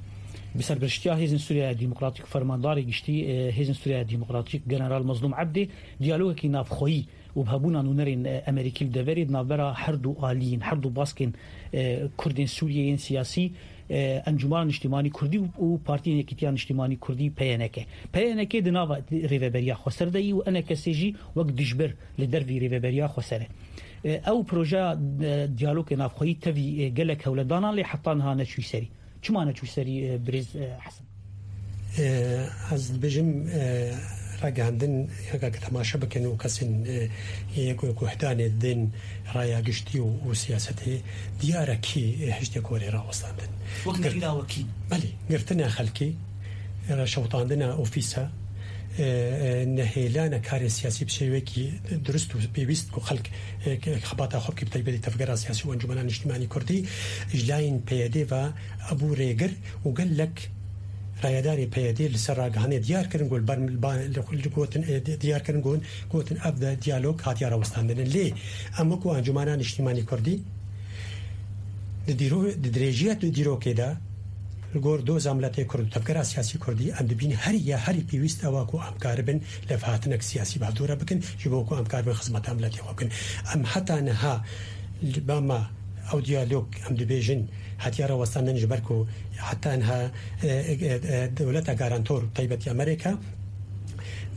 bi serpiriştiya Hêzên Sûriya Demokratîk, Fermandarê Giştî, e, Hêzên Sûriya Demokratîk, General Mazlûm Ebdê, diyalogekî navxweyî û bi hebûna nûnerên, e, Amerîkî li deverê di navbera her du aliyên, her du baskên, e, Kurdên Sûriyê yên siyasî, e, Encûmana Niştimanî Kurdî û, û Partiyên Yekîtiya Niştimanî Kurdî, P Y N K. P Y N K di nava rêveberiya xweser de yî û E N K S jî wek dijber li dervî rêveberiya xweser e. E, ew projeya, e, diyalogê navxweyî tevî, e, gelek hewledanan lê heta niha neçûyî serî. Çima neçû serî, e, birêz, e, Hesen? E, ez dibêjim, e, ragihandin, heke ke temaşe bikin û kesên, e, yê ku guhdanê didin raya giştî û, û siyasetê, diyar e kî, e, hiştê ku were rawestandin. Wek Gir-, nehîra wekî. Belê, girtina xelkê, e, şewitandina ofîsa, e, e, nehêlana karê siyasî bi şêwekî durust û pêwîst ku xelk, e, ke-, xebata xwe bike, bi taybetî tevgera siyasî û Encûmena Niştimanî Kurdî, ji layên P Y D ve, Ebû rêgir û gelek rayedarê P Y D li ser ragihanê diyar kirin, got, ber, ba, li, li gotin, e, di-, diyar kirin, got, gotin, ev de diyalog hatiye rawestandin. Lê em wekû Encûmena Niştîmanî Kurdî di dîro-, di dirêjiya di dîrokê de li gor doza miletê Kurd û tevgera siyasî Kurdî em dibîn herî ya herî pêwîst ew e ku em karibin levhatinek siyasî bi hevdû re bikin, ji bo ku em karibin xizmeta miletê xwe bikin. Em heta niha li ba me ew diyalog em dibêjin hatiye rawestandin, ji ber ku heta niha, e, e, e, dewleta garantor, taybetî Amerîka,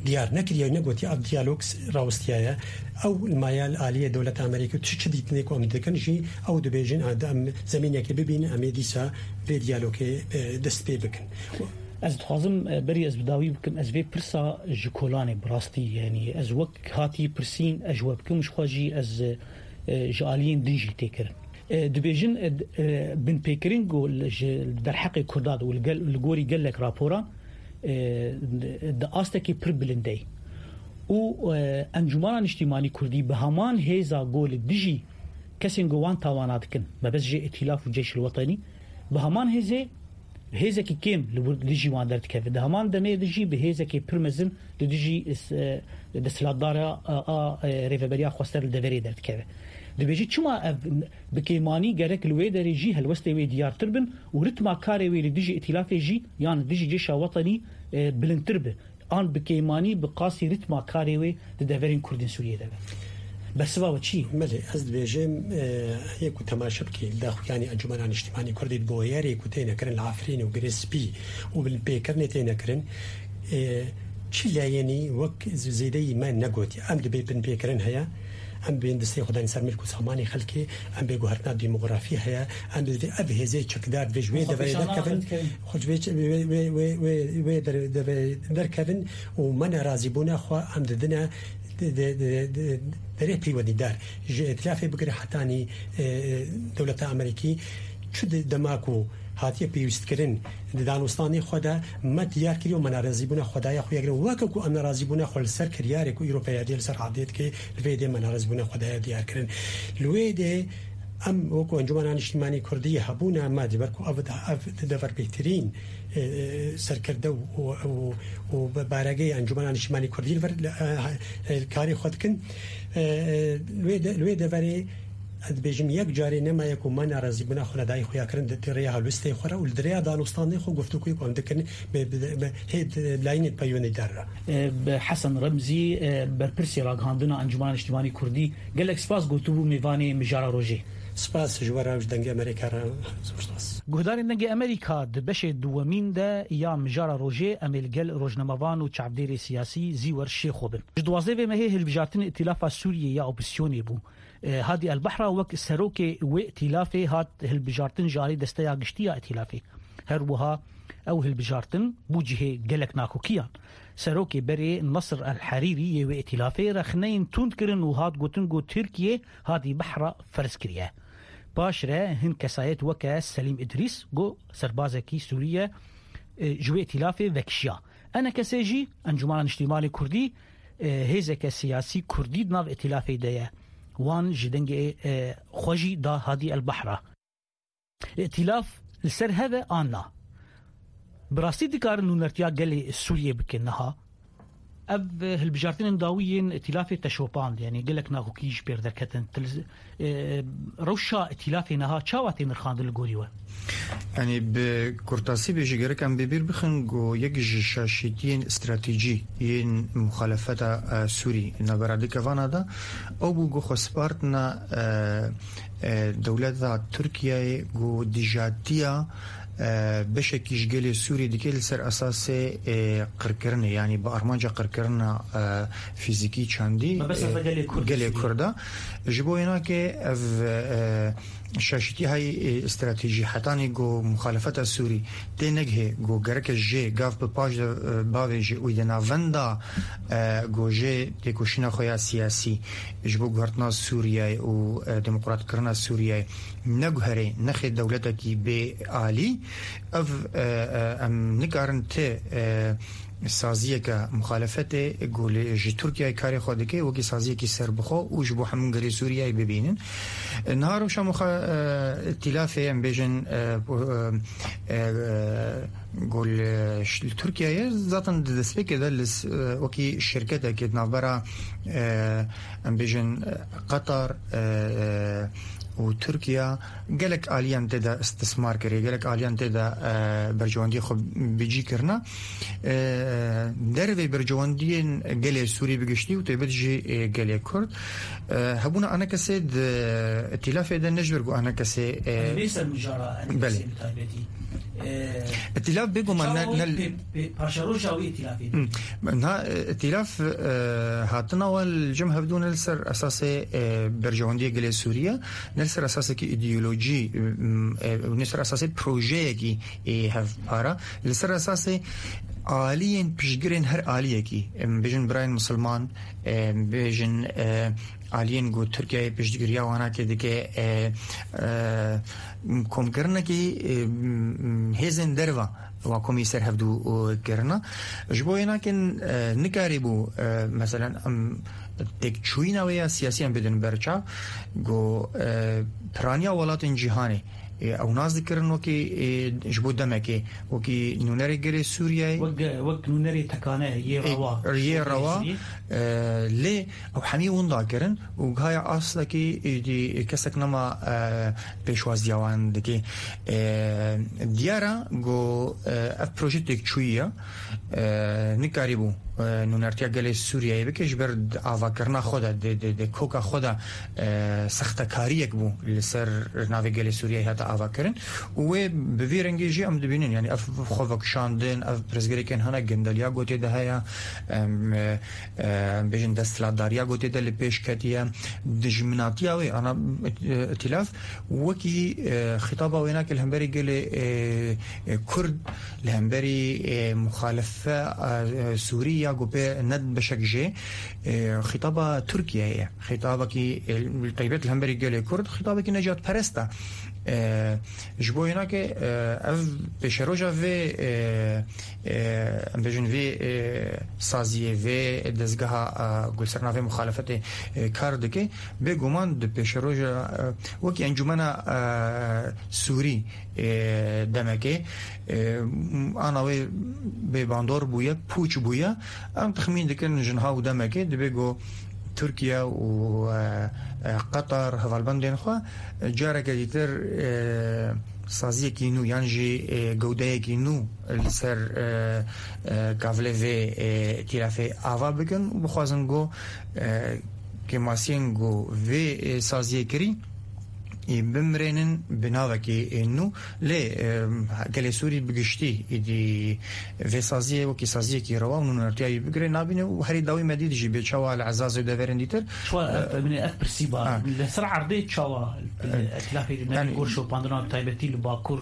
diyar nekiriye, negotiye ev diyalog s-, rawistiyaye. Ew li maya li aliyê dewleta Amerîka çi, çi dîtinê ku em dikin jî ew dibêjin, a, em zemînekê bibînin, em ê dîsa vê diyalogê, e, dest pê bikin. Ez dixwazim, e, berî ez bi dawî bikim, ez vê pirsa ji kolanê bi rastî, yanî ez wek hatî pirsîn, ez ji we bikim, ji xwe jî ez, e, ji aliyên din jî tê kirin. E, dibêjin, e, d-, e, binpêkirin ku li, ji derheqê Kurdan û li gel-, li gorî gelek raporan, e, di, di astekî pir bilind de ye. Û, e, Encûmana Niştîmanî Kurdî bi heman hêza ku li dijî kesên ku wan tawana dikin, mebest jê Îtîlaf û Ceyşil Wetenî, bi heman hêzê hêzekî kêm li wir dijî wan derdikeve. Di heman demê de jî bi hêzekê pir mezin li dijî, e, desthilatdara a, a, e, rêveberiya xwester li deverê derdikeve. Dibêjî çima ev bi kêmanî gerek li wê derê jî helwestê wê diyartir bin û ritma karê wê li dijî îtîlafê jî yan li dijî cêşa wetenî, e, bilindtir bi. An bi kêmanî bi qasî ritma karê wê di deverên Kurdên Sûriyê de be. Bersiva we çi ye? Belê, ez dibêjim, e, yê ku temaşe bikî, li daxuyanî Encûmena Niştîmanî Kurdî di boyerê ku têne kirin li Efrînê û Girê Spî û binpêkirinê têne kirin, e, çi layenî wek z-, zêdeyî me negotiye. Em dibê binpêkirin heye, Em bên destê xwe danî ser milk û samanê xelkê, em bê guhertina demografî heye, em divê ev hêzê çekdar divê ji wê Xwe deverê pêşan derkevin, naxin dikevin. Xwe ji vê çe-, wê, wê, wê, wê, wê der-, deverê derkevin û me nerazîbûna xwe em didine de-, de-, de-, de-, derê peywendîdar. Ji îtilafê bigire hetanî, e, dewleta Amerîkî, çi de-, dema ku hatiye pêwîstkirin, di danûstanê xwe de me diyar kiriye û me nerazîbûna xwe daye xuya kirin. Weke ku em nerazîbûna xwe li ser kiryarê ku îro peyadê li ser erdê dike, li vê yê dê me nerazîbûna xwe daye diyar kirin. Li wê yê dê em wekî Encûmena Niştîmanî Kurdî hebûna me, ji ber ku ev, ev di dever bêhtirîn, e, e, serkirde û, û, û, û baregeyê Encûmena Niştîmanî Kurdî li vir, e, e, karê xwe dikin. E, e, li wê de-, li wê deverê ez dibêjim, yek carê nemaye ku me nerazîbûna xwe li dayî xuya kirin di, di rêya helwestê xwe re û li di rêya danûstandê xwe guftûgoyê ku em dikin bi, bi, bi, hê, bi layînên peywenîdar re. E, bi Hesen Remzî, e, berpirsê ragihandina Encûmena Niştîmanî Kurdî, gelek spas gotibû mêvanê Mijara Rojê. Spas ji we re û ji Dengê Amerîka re, zor spas. Guhdarên Dengê Amerîka, di beşê duwemîn de ya Mijara Rojê em ê li gel rojnamevan û çavdêrê siyasî Zîwer Şêxo bin. Ji duwazdeh vê mehê hilbijartinê Îtîlafa Sûriyê ya Opozîsyonê bû. E, Hadî El Behra wek serokê wê îtîlafê hat hilbijartin ji alî Desteya Giştî ya Îtîlafê. Her wiha ew hilbijartin bû cihê gelek nakokiyan. Serokê berê Nasir El Herîrî yê wê îtîlafê rexneyên tund kirin û hat gotin ku Tirkiye Hadî Behra ferz kiriye. Paş re hin kesayet weke Selîm Îdrîs, ku serbazekî Sûrî ye, e, ji wê îtîlafê vekişiya. Enekesê jî Encûmena Niştîmanê Kurdî, e, hêzeke siyasî Kurdî di nav îtîlafê de ye. Wan ji dengê, e, xwe jî da Hadî El Behra. Îtîlaf li ser hev e an na? Bi rastî dikarin nûnertiya gelê Sûriyê bikin niha? Ev hilbijartinên dawî yên îtîlafê te şopand, yanî gelek naxokî ji pêr derketin. Til-, e, rewşa îtîlafê niha çawa tê nirxandin li gorî we? Yanî bi kurtasî bêjî gerek em bi bîr bixin ku yek ji şaşîtiyên stratejî yên muxalefeta, e, Sûrî navbera du kevana de ew bû ku xwe spartine, e, e, dewleta Tirkiyeyê ku dijatiya, e, beşekî ji gelê Sûrî dike li ser esasê, e, qirkirinê, yanî bi armanca qirkirina, e, fîzîkî çandî, Mebesta e, gelê Kurd, gelê Sûrî. Kurda. Ji bo yênakê ev, e, şaşîtî hay, e, stratejî hetanî ku muxalefeta Sûrî tê negihê ku gereke jê gav bi paş de, e, bavêje û di navenda, e, ku jê têkoşîna xwe ya siyasî ji bo guhertina Sûriyeyê û, e, demokratkirina Sûriyeyê neguherê nexê dewletekî bê alî, ev, e, e, em nikarin ti, e, saziyeke muxalefetê ku li, ji Tirkiyeyê karê xwe dike wekî saziyekî serbixwe û ji bo hemû gelê Sûriyeyê bibînin. E, niha rewşa muxa-, e, îtîlafê em bêjin, e, e, e, ku li, li Tirkiyeyê zaten di destpêkê de li s-, e, wekî şirketekê di navbera, e, em bêjin, e, Qatar, e, e, û Tirkiye gelek aliyan tê de istismar kiriye, gelek aliyan tê de, e, berjewendiyê xwe bi cî kirine. E, dervê berjewendiyên gelê Sûrî bi giştî û taybet jî, e, gelê Kurd. E, hebûna enekesê di îtîlafê de ne ji ber ku enekesê, e, Em bê ser mijara enekesê Belê. Bi taybetî. E, Îtîlaf bêguman ne, çawa ne wê pê-, pê-, paşeroja wê îtîlafê Hmm. Na, e, îtîlaf, e, hatina we li cem hevdû ne li ser esasê, e, berjewendiyê gelê Sûriye, ne li ser esasekî îdeolojî, m, e, ne li ser esasê projeyekî, e, hevpara, li ser esasê aliyên piştgirên her aliyekî, em bêjin birayên misilman, em bêjin, e, aliyên ku Tirkiyeyê piştgiriya wan nake dike, e, e, komkirinekî, e, m, hêzên derva wa komî ser hevdû, e, kirina. Ji bo yênakin, e, nikarîbû, e, meselen, em têkçûyîna wê ya siyasî em bidin ber çav, ku, e, piraniya welatên cîhanê, e, ew nas dikirin wekî, e, ji bo demekê, wekî nûnerê gelê Sûriyeyê. Wek, wek nûnerê tekane yê E, rewa. yê rewa, Sûriyeyê. e, lê ew hemî winda kirin û gihaya astekî êdî kesek nema, e, pêşwaziya wan dike. E, diyar e ku, e, ev proje têkçûyî ye. E, nikarîbû e, nûnertiya gelê Sûriyeyê bike, ji ber di avakirina xwe de, di, di, di koka xwe de, e, sextekariyek bû li ser navê gelê Sûriyeyê hate avakirin û wê bi vî rengî jî em dibînin, yanî ev xwevekişandin, ev pirsgirêkên hene, gindeliya gotê de heye, em, e, e, em bêjin desthilatdariya gotê de li pêş ketiye, dijminatiya wê, ana, e, îtîlaf, wekî, e, xîtaba wênakê li hemberî gelê, e, e, Kurd, li hemberî, e, muxalife, e, e, Sûrî ya ku pê ne beşek jê, e, xîtaba Tirkiyeyê ye. Xîtabekî, e, li taybet li hemberî gelê Kurd, xîtabekî necatperest e. E, ji bo wênakê, e, ev pêşeroja vê, e, e, em bêjin vê, e, saziyê, vê dezgeha, e, ku li ser navê muxalefetê, e, kar dike, bêguman di pêşeroja, e, wekî Encûmena, e, Sûrî, e, demekê, e, ana wê bêbandor bûye, pûç bûye. Em texmîn dikin ji niha û demekê dibe ku Tirkiye û, e, e, Qetar hevalbendên xwe, e, careke dîtir, e, saziyekî nû yan jî, e, gewdeyekî nû li ser, e, e, gavlê vê, e, îtîlafê ava bikin û bixwazin ku, e, kêmasiyên ku vê, e, saziyê kirî, ê bimirênin bi navekî, ê, nû. Lê, e, gelê Sûrî bi giştî êdî vê saziyê wekî saziyekî rewa û nûnertiya wî bigire nabîne û herî dawî me dît jî bê çawa li Ezazê û deverên dîtir. Çawa ev, e, ev, ev pirsî ba. Ha. Li ser erdê çawa, e, îtîlafê di yanî gor şopandina taybetî li Bakur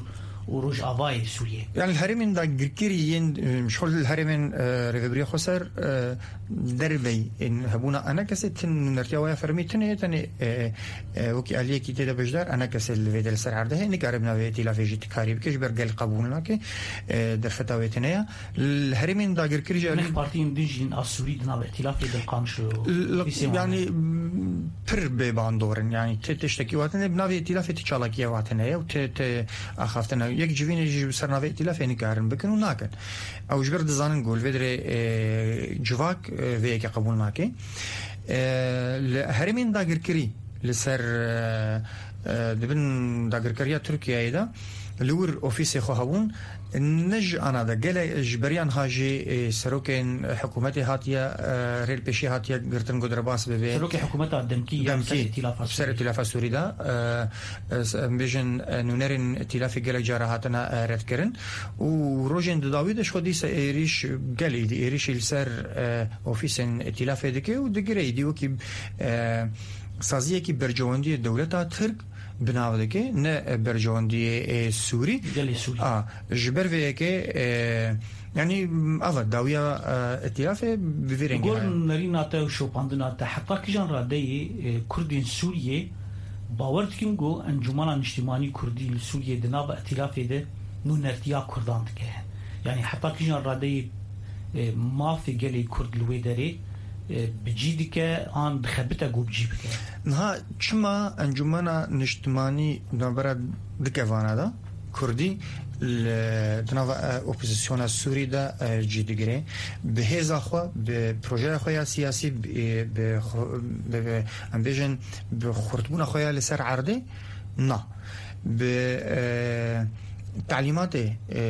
û Rojavayê Sûriyê? Yanî li herêmên dagirkirî yên, e, ji xwe li herêmên, e, Rêvebiriya Xweser, e, derveyî, ên hebûna enekesê tin nûnertiya waya fermî tune ye, tenê, e, e, wekî aliyekî tê de beşdar enekesê li vê de li ser erdê heye, nikare bi navê îtîlafê jî ti karî bike, ji ber gel qebûl nake, e, derfeta wê tune ye. Li herêmên dagirkirî jî alî- Neh partiyên din jî a Sûrî di navê îtîlafê de li Qamişlo L-, îsê wan yanî, e. Pir bêbandor in, yanî ti tiştekî watine, bi navê îtîlafê ti çalakiyê watine ye û ti, ti axaftine. Yek civînê jî bi ser navê îtîlafê nikarin bikin û nakin. Ew ji ber dizanin ku li vê derê, e, civak, e, vê yekê qebûl nake. E, li herêmên dagirkirî li ser, e, e, di bin dagirkeriya Tirkiyeyê de li wir ofîsê xwe hebûn, ne ji ana de gelek ji beriya niha jî, e, serokên hikûmetê hatiye, e, rê li pêşî hatiye girtin ku derbas bibe. Serokê hikûmeta demkî ya ser Demkî, îtîlafa ser Sûrî. Îtîlafa Sûrî de, e, e, s-, em bêjin, e, nûnerên îtîlafê gelek cara hatine, e, redkirin û rojên di dawî de ji xwe dîsa êrîş gelî di êrîşî li ser, e, ofîsên îtîlafê dike û digire êdî wekî, e, saziyekî berjewendiyê dewleta Tirk bi nav dike, ne berjewendiyê, e, Sûrî. Gelê Sûrî. A, ji ber vê yekê, e, yanî, ev e dawiya, e, îtîlafê bi vî rengî Gor heye. Nerîna te û şopandina te heta kijan radeyê, e, Kurdên Sûriyê bawer dikin ku Encûmena Niştimanî Kurdî li Sûriyê di nava îtîlafê de nûnertiya Kurdan dike? Yanî heta kijan radeyê, e, mafê gelê Kurd li wê derê, e, bi cî dike an dixebite ku bi cî bike? Niha çima Encûmena Niştimanî di navbera dikevana de Kurdî li, di nava, e, opozisyona Sûrî de, e, cî digire? Bi hêza xwe, bi projeya xwe ya siyasî, bi, bi xwe, bi, bi, em bêjin, bi xurtbûna xwe ya li ser erdê? Na. Bi, e, talîmatê, e,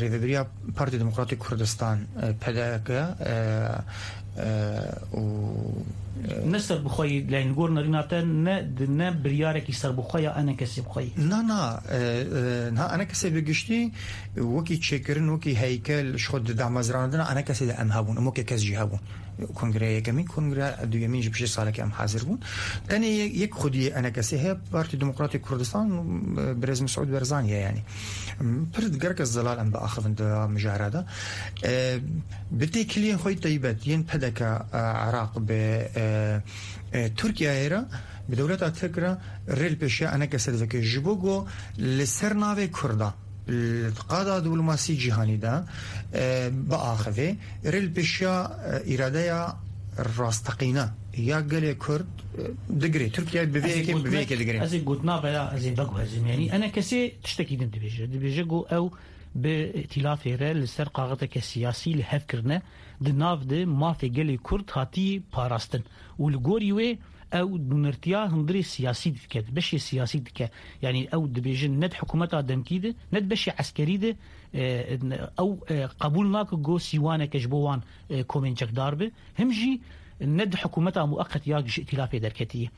Rêvebiriya Partiya Demokratîk Kurdistan, e, P D K, e, e, û, e, Ne serbixweyî, yani li gor nerîna te ne, ne biryarekî serbixwe ya enekesê bixweyî. Na, na, e, e, niha enekesê bi giştî wekî çêkirin, wekî heykel, ji xwe di damezrandina enekesê de em hebûn, em wekî kes jî hebûn. Kongreya yekemîn, kongreya duyemîn jî piştî salekê em hazir bûn. Tenê yek, yek xwediyê enekesê heye, Partî Demokratîk Kurdistan, e, Birêz Mesûd Barzanî ye yanî. Pir gerek ez zelal em biaxivin di mijara de. E, bi têkiliyên xwe yê taybet yên P D K, e, Iraq bi, e, e, Tirkiyeyê re, bi dewleta Tirk re rê li pêşiya enekesê diveke. Ji bo ku li ser navê Kurda li qada diplomasî cîhanî de, e, biaxive, rê li pêşiya, e, îradeya rasteqîne ya gelê Kurd, e, digire. Tirkiye bi vê Ez ê yekê, bi vê gotinek, yekê digire. Ez ê gotina veya ez ê veguhezim. Yani enekesê tiştekî din dibêje. Dibêje ku ew bi îtîlafê re li ser qaxeteke siyasî li hev kirine, di nav de mafê gelê Kurd hatî parastin û li gorî wê ew nûnertiya hundirê siyasî dike, beşê siyasî dike. Yanî ew dibêjin ne di hikûmeta demkî de, ne di beşê eskerî de, e, ew, e, qebûl nake ku sîwaneke ji bo wan, e, komên çekdar be. Him jî ne di hikûmeta mueqet ya ji îtîlafê derketiye.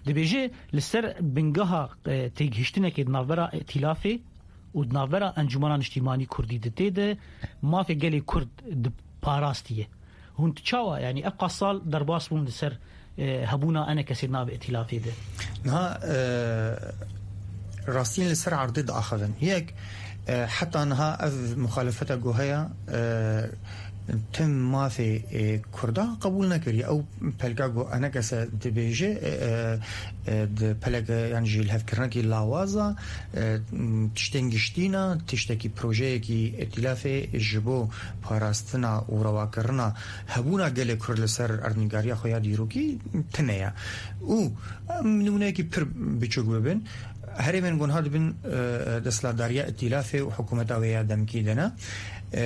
Dibêje li ser bingeha, e, têgihiştinekê di navbera îtîlafê û di navbera Encûmena Niştîmanî Kurdî di tê de mafê gelê Kurd di parastiye. Hûn tu çawa, yanî ev qas sal derbas bûn li ser, e, hebûna enekesê navê îtîlafê de? Niha, e, rastiyên li ser erdê diaxivin. Yek, e, heta niha ev muxalefeta ku heye, e, tim mafê, e, Kurda qebûl nekiriye. Ew pelka ku enekese dibêje, e, e, e, di pelek, e, yan jî lihevkirinekî lawaza, e, tiştên giştî ne, tiştekî projeyekî îtîlafê ji bo parastina û rewakirina hebûna gelê Kurd li ser erdnîgariya xwe ya dîrokî tune ye. Û, em, nimûneyekî pir biçûk bibin. Herêmên gunha dibin, e, desthilatdariya îtîlafê û hikûmeta wê ya demkî de ne. E,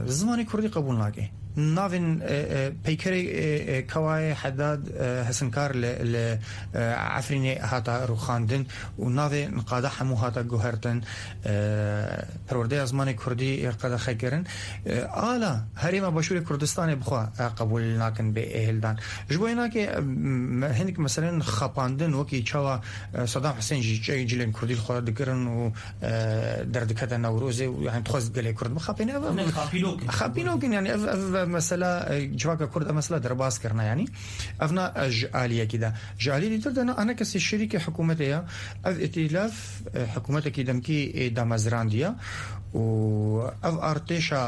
zimanê kurdî qebûl nake. Navên, e, e, peykerê, e, e, Kawayê Hedad, e, Hesinkar li, li, e, Efrînê hata rûxandin û navê niqada hemû hata guhertin. E, perwerdeya zimanê kurdî, e, qedexe kirin. E, ala herêma Başûrê Kurdistanê bixwe, e, qebûl nakin bê, e, hildan. Ji bo hinakê, e, me-, hinek meselen xapandin wekî çawa, e, Sedam Husên jî çi-, cilên kurdî li xwe dikirin û, e, derdikete Newrozê û, yani, dixwest gelê Kurd bixapêne. Ev, ev, Hinek xapînok in. Xapînok in, yani, ev, ev, ev mesela, e, civaka Kurd ev mesela derbas kirine, yani. Ev na, e, ji aliyekî de. Ji aliyê dîtir de na, enekesê şerîkê hikûmetê ya. Ev îtîlaf, e, hikûmetekî demkî, e, damezrandiye û ev artêşa,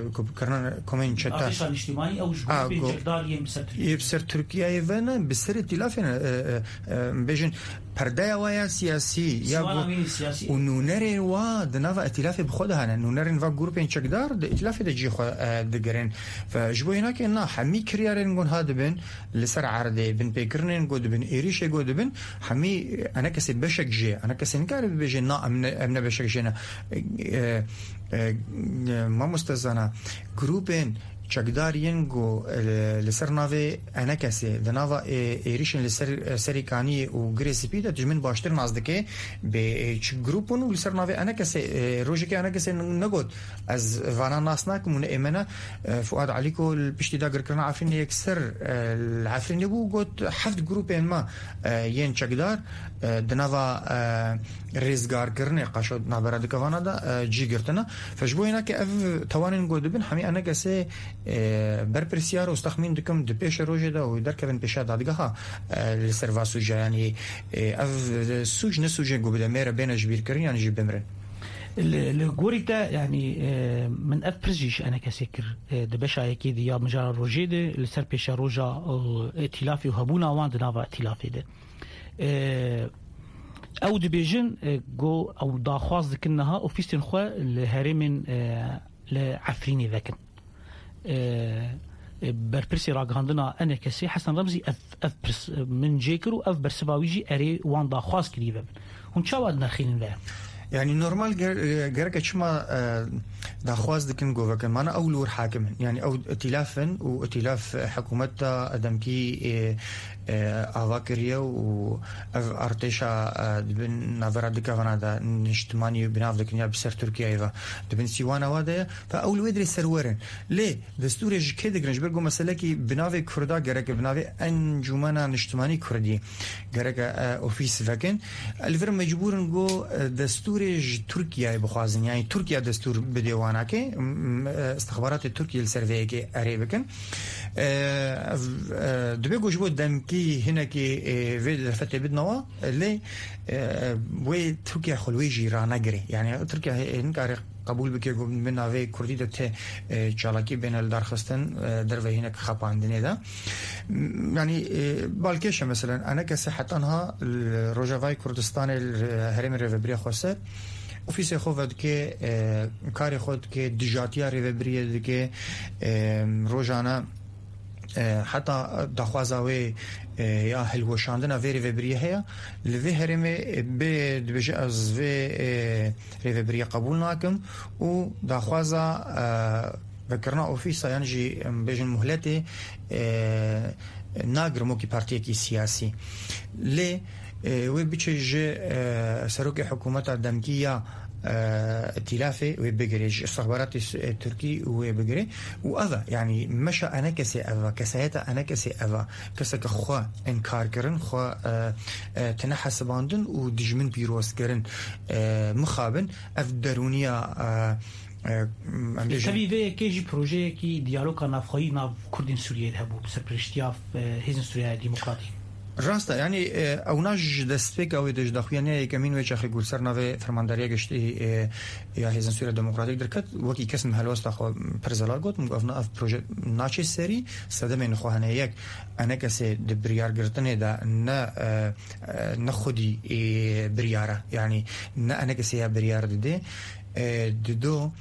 e, ku kirine komên çete. Artêşa niştimanî ew ji A, grûpên ku çekdar yên bi ser Tirkiyeyê. Yê bi ser Tirkiyeyê ve ne, bi ser îtîlafê ne, e, e, e, bêjin perdeya wa ya siyasî, ya Sîwana ku wî siyasî. Û nûnerên wa di nava îtîlafê bi xwe de hene. Nûnerên va grûpên çekdar di îtîlafê de cî xwe, e, digirin. Ve ji bo hinakê na hemî kiryarên gon ha dibin, li ser erdê, binpêkirinên ku dibin, êrîşê ku dibin, hemî enekesê beşek jê, enekesê nikare bibêje, na, em ne, em ne beşek jê ne. E, e, e, mamoste Zana, grûpên çekdar yên ku, e, li ser navê enekesê, di nava, e, êrîşên li ser, e, Serê Kaniyê û Girê Spî de dijmin baştir nas dike, bê, e, çi grûp bûn û li ser navê enekesê, e, rojekê enekesê n-, negot, ez vana nas nakim û ne ê me ne, e, Fuad Elîko li piştî dagirkirina Efrînê yekser, e, li Efrînê bû, got, heft grûpên me, e, yên çekdar, e, di nava, e, rêzgarkirinê qaşo navbera dikevana de, e, cî girtine. Fe ji bo hênakê ev tewanên ku dibin, hemî enekesê, e, berpirsiyar û ez texmîn dikim di pêşe rojê de û derkevin pêşa dadgeha, e, li ser va sûca, yanî, e, ev sûc ne sûcên ku bi demê re bêne ji bîrkirin yan jî bimrin. Li, li gorî te, yanî, e, min ev pirs jî ji enekesê kir, e, di beşa yekê de ya mijara rojê de, li ser pêşeroja, e, îtîlafê û hebûna wan di nava îtîlafê de. E, ew dibêjin, e, ku ew daxwaz dikin niha ofîsên xwe li herêmên, e, li Efrînê vekin. E, e, berpirsê ragihandina enekesê Hesen Remzî ev, ev pirs, e, min cê kir û ev bersiva wî jî erê wan daxwaz kirî vebin. Hûn çawa dinirxînin ve? Yani normal ger-, e, gereke çima, e, daxwaz dikin ku vekin. Mana ew li wir hakim in. Yani ew îtîlaf in û îtîlaf, e, hikûmeta demkî, e, e, ava kiriye û ev artêşa, e, dibin navbera dikevana de niştimanî binav dikin ya bi ser Tirkiyeyê ve. Dibin sîwana wa de ye. Ve ew li wê dirê serwer in. Lê destûrê ji kê digirin? Ji ber ku meselekî bi navê Kurda gereke bi navê Encûmena Niştimanî Kurdî gereke, e, ofîs vekin. Li vir mecbûr in ku, e, destûrê ji Tirkiyeyê bixwazin. Yani Tirkiye destûr bidê wanakê, m-, m-, e, istixbaratê Tirkiye li ser vê yekê erê bikin. E, ev, e, dibe ku ji bo demkî hinekî, e, vê derfetê bidinawa, lê, e, wê Tirkiye xwe li wê jî ranegirê. Yani Tirkiye, e, nikare qebûl bike ku bi navê Kurdî de tê, e, çalakî bêne li darxistin, e, derve hinek xapandinê de. M-, yanî, e, balkêş e, meselen, enekesê heta niha li Rojavayê Kurdistanê, li herêmê Rêvebiriya Xweser, ofîsê xwe vedike, e, karê xwe dike, dijatiya rêvebiriyê dike, e, rojane e, heta daxwaza wê, e, ya hilweşandina vê rêvebiriyê heye. Li vê herêmê, e, bê dibêje, ez vê, e, rêvebiriyê qebûl nakim û daxwaza, e, vekirina ofîsa yan jî, em bêjin muhletê, e, nagirim wekî partiyekî siyasî. Lê, e, wê biçe ji, e, serokê hikûmeta demkî ya, e, îtîlafê wê bigirê, ji istixbaratê s-, e, tirkî wê bigirê. Û ev e, yanî meşa enekesê ev e, kesayeta enekesê ev e. Keseke xwe inkar kirin, xwe, e, e, tine hesibandin û dijmin pîroz kirin, e, mixabin. Ev derûniya, e, e, em bêjin. Tevî vê yekê jî projeyekî diyaloga navxweyî nav Kurdên Sûriyeyê de hebû, bi serpereştiya, e, Hêzên Sûriya Demokratîk. Rast e, yanî, e, ewna ji destpêka wê de, ji daxuyanîya yekemîn wê çaxê ku li ser navê Fermandariya Giştî, e, ya Hêzên Sûriya Demokratîk derket, wekî kes min helwesta xwe pir zelal got, min got, "Ev na-, ev proje naçe serî, sedemên xwe hene. Yek, enekesê di biryargirtinê de ne, e, e, ne xwedî, e, biryar e, yanî ne enekesê ya biryar dide, e, dido,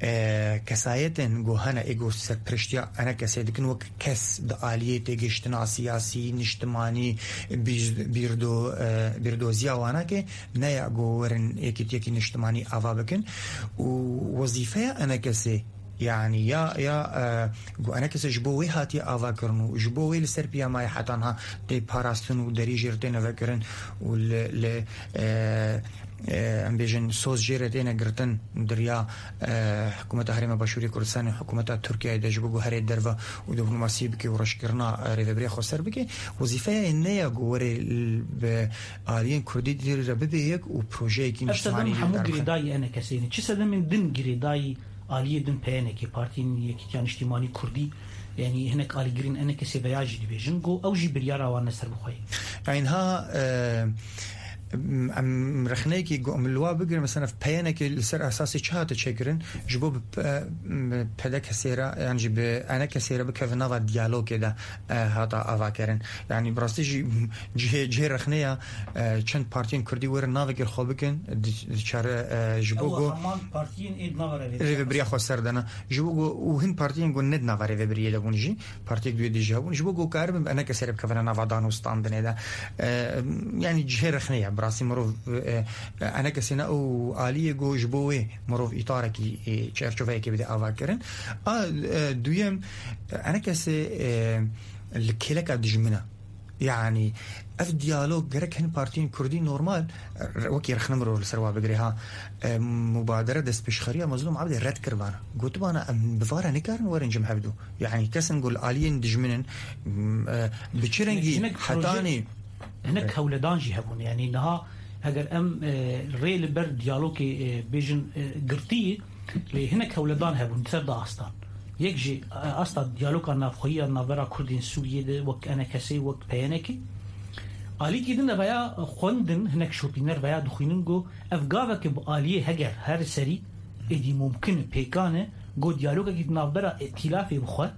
e, kesayetên ku hene ê ku serpereştiya enekesê dikin wek kes di aliyê têgihiştina siyasî, niştimanî, bîr-, bîrdo-, e, bîrdoziya wana ke ne ya ku werin yekîtiyekî niştimanî ava bikin û wezîfeya enekesê, yanî ya, ya, e, ku enekesê ji bo wê hatiye avakirin û ji bo wê li ser piyamayê heta niha tê parastin û derî jê re têne vekirin û li, li, e, e, em bêjin, soz jê re têne girtin di riya, e, hikûmeta Herêma Başûrê Kurdistanê, hikûmeta Tirkiyeyê de ji bo ku herê derve û diplomasî bike û reşkirina, e, rêvebiriya xweser bike. Wezîfeya wê ne ya ku were l-, bi aliyên Kurdî dî re bibe yek û projeyekî niştimanî jê re derbixe." Ev sedem hemû girêdayî enekesê ne. Çi sedemên din girêdayî aliyê din P Y N K, Partiyên Yekîtiya Niştimanî Kurdî, yanî hinek alîgirên enekesê veya jî dibêjin, ku ew jî biryara wan ne serbixwe ye. Eynha, e, em rexneyekî ku em li wa bigirin, mesela P Y N K li ser esasê çi hate çêkirin? Ji bo bi P-, bi P D K sê re, yan jî bi enekesê re bikeve nava diyalogê de, e, hata avakirin. Yanî bi rastî jî cihê, cihê rexneya, e, çend partiyên Kurdî werin navekê xwe bikin, di-, diçare, e, ji bo Ew ku heman partiyên ê di nava rêvebiriya rêvebiriya xwe ser dana. Ji bo ku û hin partiyên ku ne di nava rêvebiriyê de bûn jî, partiyek duye dî jî hebûn. Ji bo ku karibin bi enekesê re bikevine nava danûstandinê de. E, yanî cihê rexne ye. Bi rastî mirov, e, enekesê ne ew aliyê ku ji bo wê mirov îtarekî, e, çerçoveyekê bide avakirin. A, e, duyem, enekesê, e, li kêleka dijmin e. Yanî ev diyalog gerek hin partiyên Kurdî normal, e, wekî rexne mirov li ser wa bigire ha. E, mubadere destpêşxeriya Mezlûm Ebdê red kir vana. Gotibana em bi vara nikarin werin cem hevdu. Yanî kesin ku li aliyên dijmin in, m, e, bi çi rengî Hinek proje, hetanî hinek hewledan jî hebûn. Yanî niha eger em, e, rê li ber diyalogê, e, bêjin, e, girtî, lê hinek hewledan hebûn ser da astan. Yek jî, e, asta diyaloga navxweyî ya navbera Kurdên Sûriyê de wek enekesê, wek P Y N K. Alîkî din de veya xwendin, hinek şopîner veya dixwînin ku ev gaveke bi aliyê heger her serî êdî mumkin e, pêkan e, ku diyalogekî di navbera îtîlafê bixwe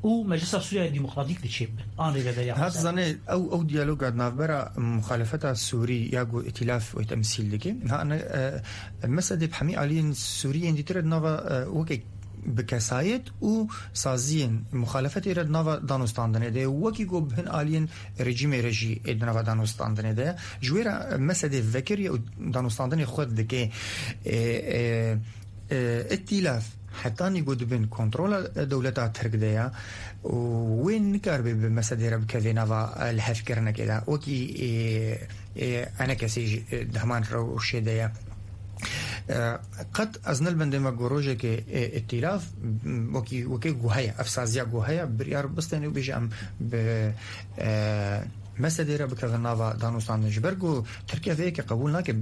û Meclisa Sûriya Demokratîk de çêbibe. An rêveberiya Hat xweser. Zanê, ew, ew diyaloga di navbera muxalefeta Sûrî ya ku îtîlaf wê temsîl dike. Ha, ne, e, mesedê bi hemî aliyên Sûriyên dîtir di nava, e, weke bi kesayet û saziyên muxalefetê re di nava danûstandinê de ye. Wekî ku bi hin aliyên rejîmê re jî ê di nava danûstandinê de ye. Ji wê re mesedê vekirî û danûstandinê xwe dike, e, e, e, îtîlaf hetanî ku dibin kontrola dewleta Tirk de ye û wê nikaribe bi mesedê re bikeve nava, e, lihevkirinekê de. Wekî, e, e, enekesê jî, e, di heman rewşê de ye. E, qet ez ne li bendê me ku rojekê, e, îtîlaf, m, wekî, wekî ku heye, ev saziya ku heye, biryar bistêne û bêje em bi, e, mesedê re bikevin nava danûstandin. Ji ber ku Tirkiye vê yekê qebûl nake,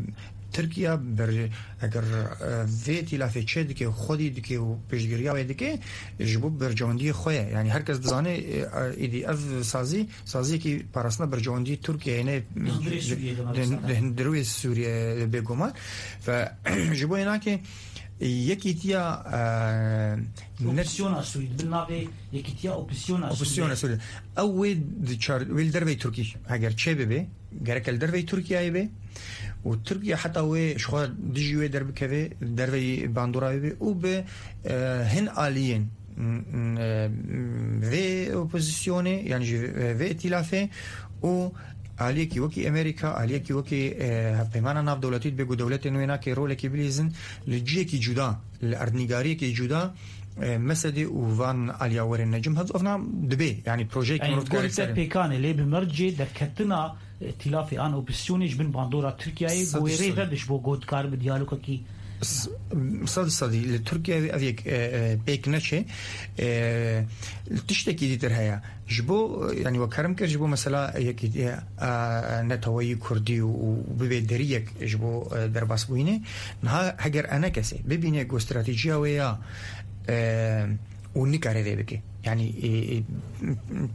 Tirkiye ber, eger, e, vê îtîlafê çê dike û xwedî dike û piştgiriya wê dike, ji bo berjewendiyê xwe ye. Yanî her kes dizane, e, êdî ev sazî, saziyekî parastina berjewendiyê Tirkiyeyê ne Di hundirê Sûriyê de di, mebesta. Di hundirê Sûriyê bêguman. Ve ji bo yê nake yekîtiya, e, ne- Opozîsyona Sûrî, di bin navê yekîtiya opozîsyona Opozîsyona Sûrî. Sûrî. Ew wê di çar-, wê li derveyî Tirkî heger çê bibe, gerek li derveyî Tirkiyeyê be û Tirkiye heta wê ji xwe dijî wê derbikeve, derveyî bandora wê be û bi, e, hin aliyên vê opozisyonê, yanî jî vê îtîlafê û aliyekî wekî Amerîka, aliyekî wekî, e, hevpeymana navdewletî dibe ku dewletên wê nake rolekî bilîzin, li cihekî cuda, li erdnîgariyekî cuda, e, Mesedê û van aliya werên necim. Hevzofna dibe, yanî projeyekî Ey, mirov dikare gol te ser pêkanê, lê bi mercê derketina îtîlafê an opozisyonê ji bin bandora Tirkiyeyê, Sed bo wê rê sed. Vediş bo ku dikar bi diyalogekî S-, sed sedî li Tirkiye ev yek, e, e, pêk neçe. E, tiştekî dîtir heye. Ji bo, e, yanî we kerem kir ji bo mesela yekî, e, e, neteweyî kurdî û, û bibe deriyek ji bo, e, derbasbûyînê. Niha heger enekesê bibîne ku stratejiya wê ya, e, û nikare vê bike. Yanî, e, e,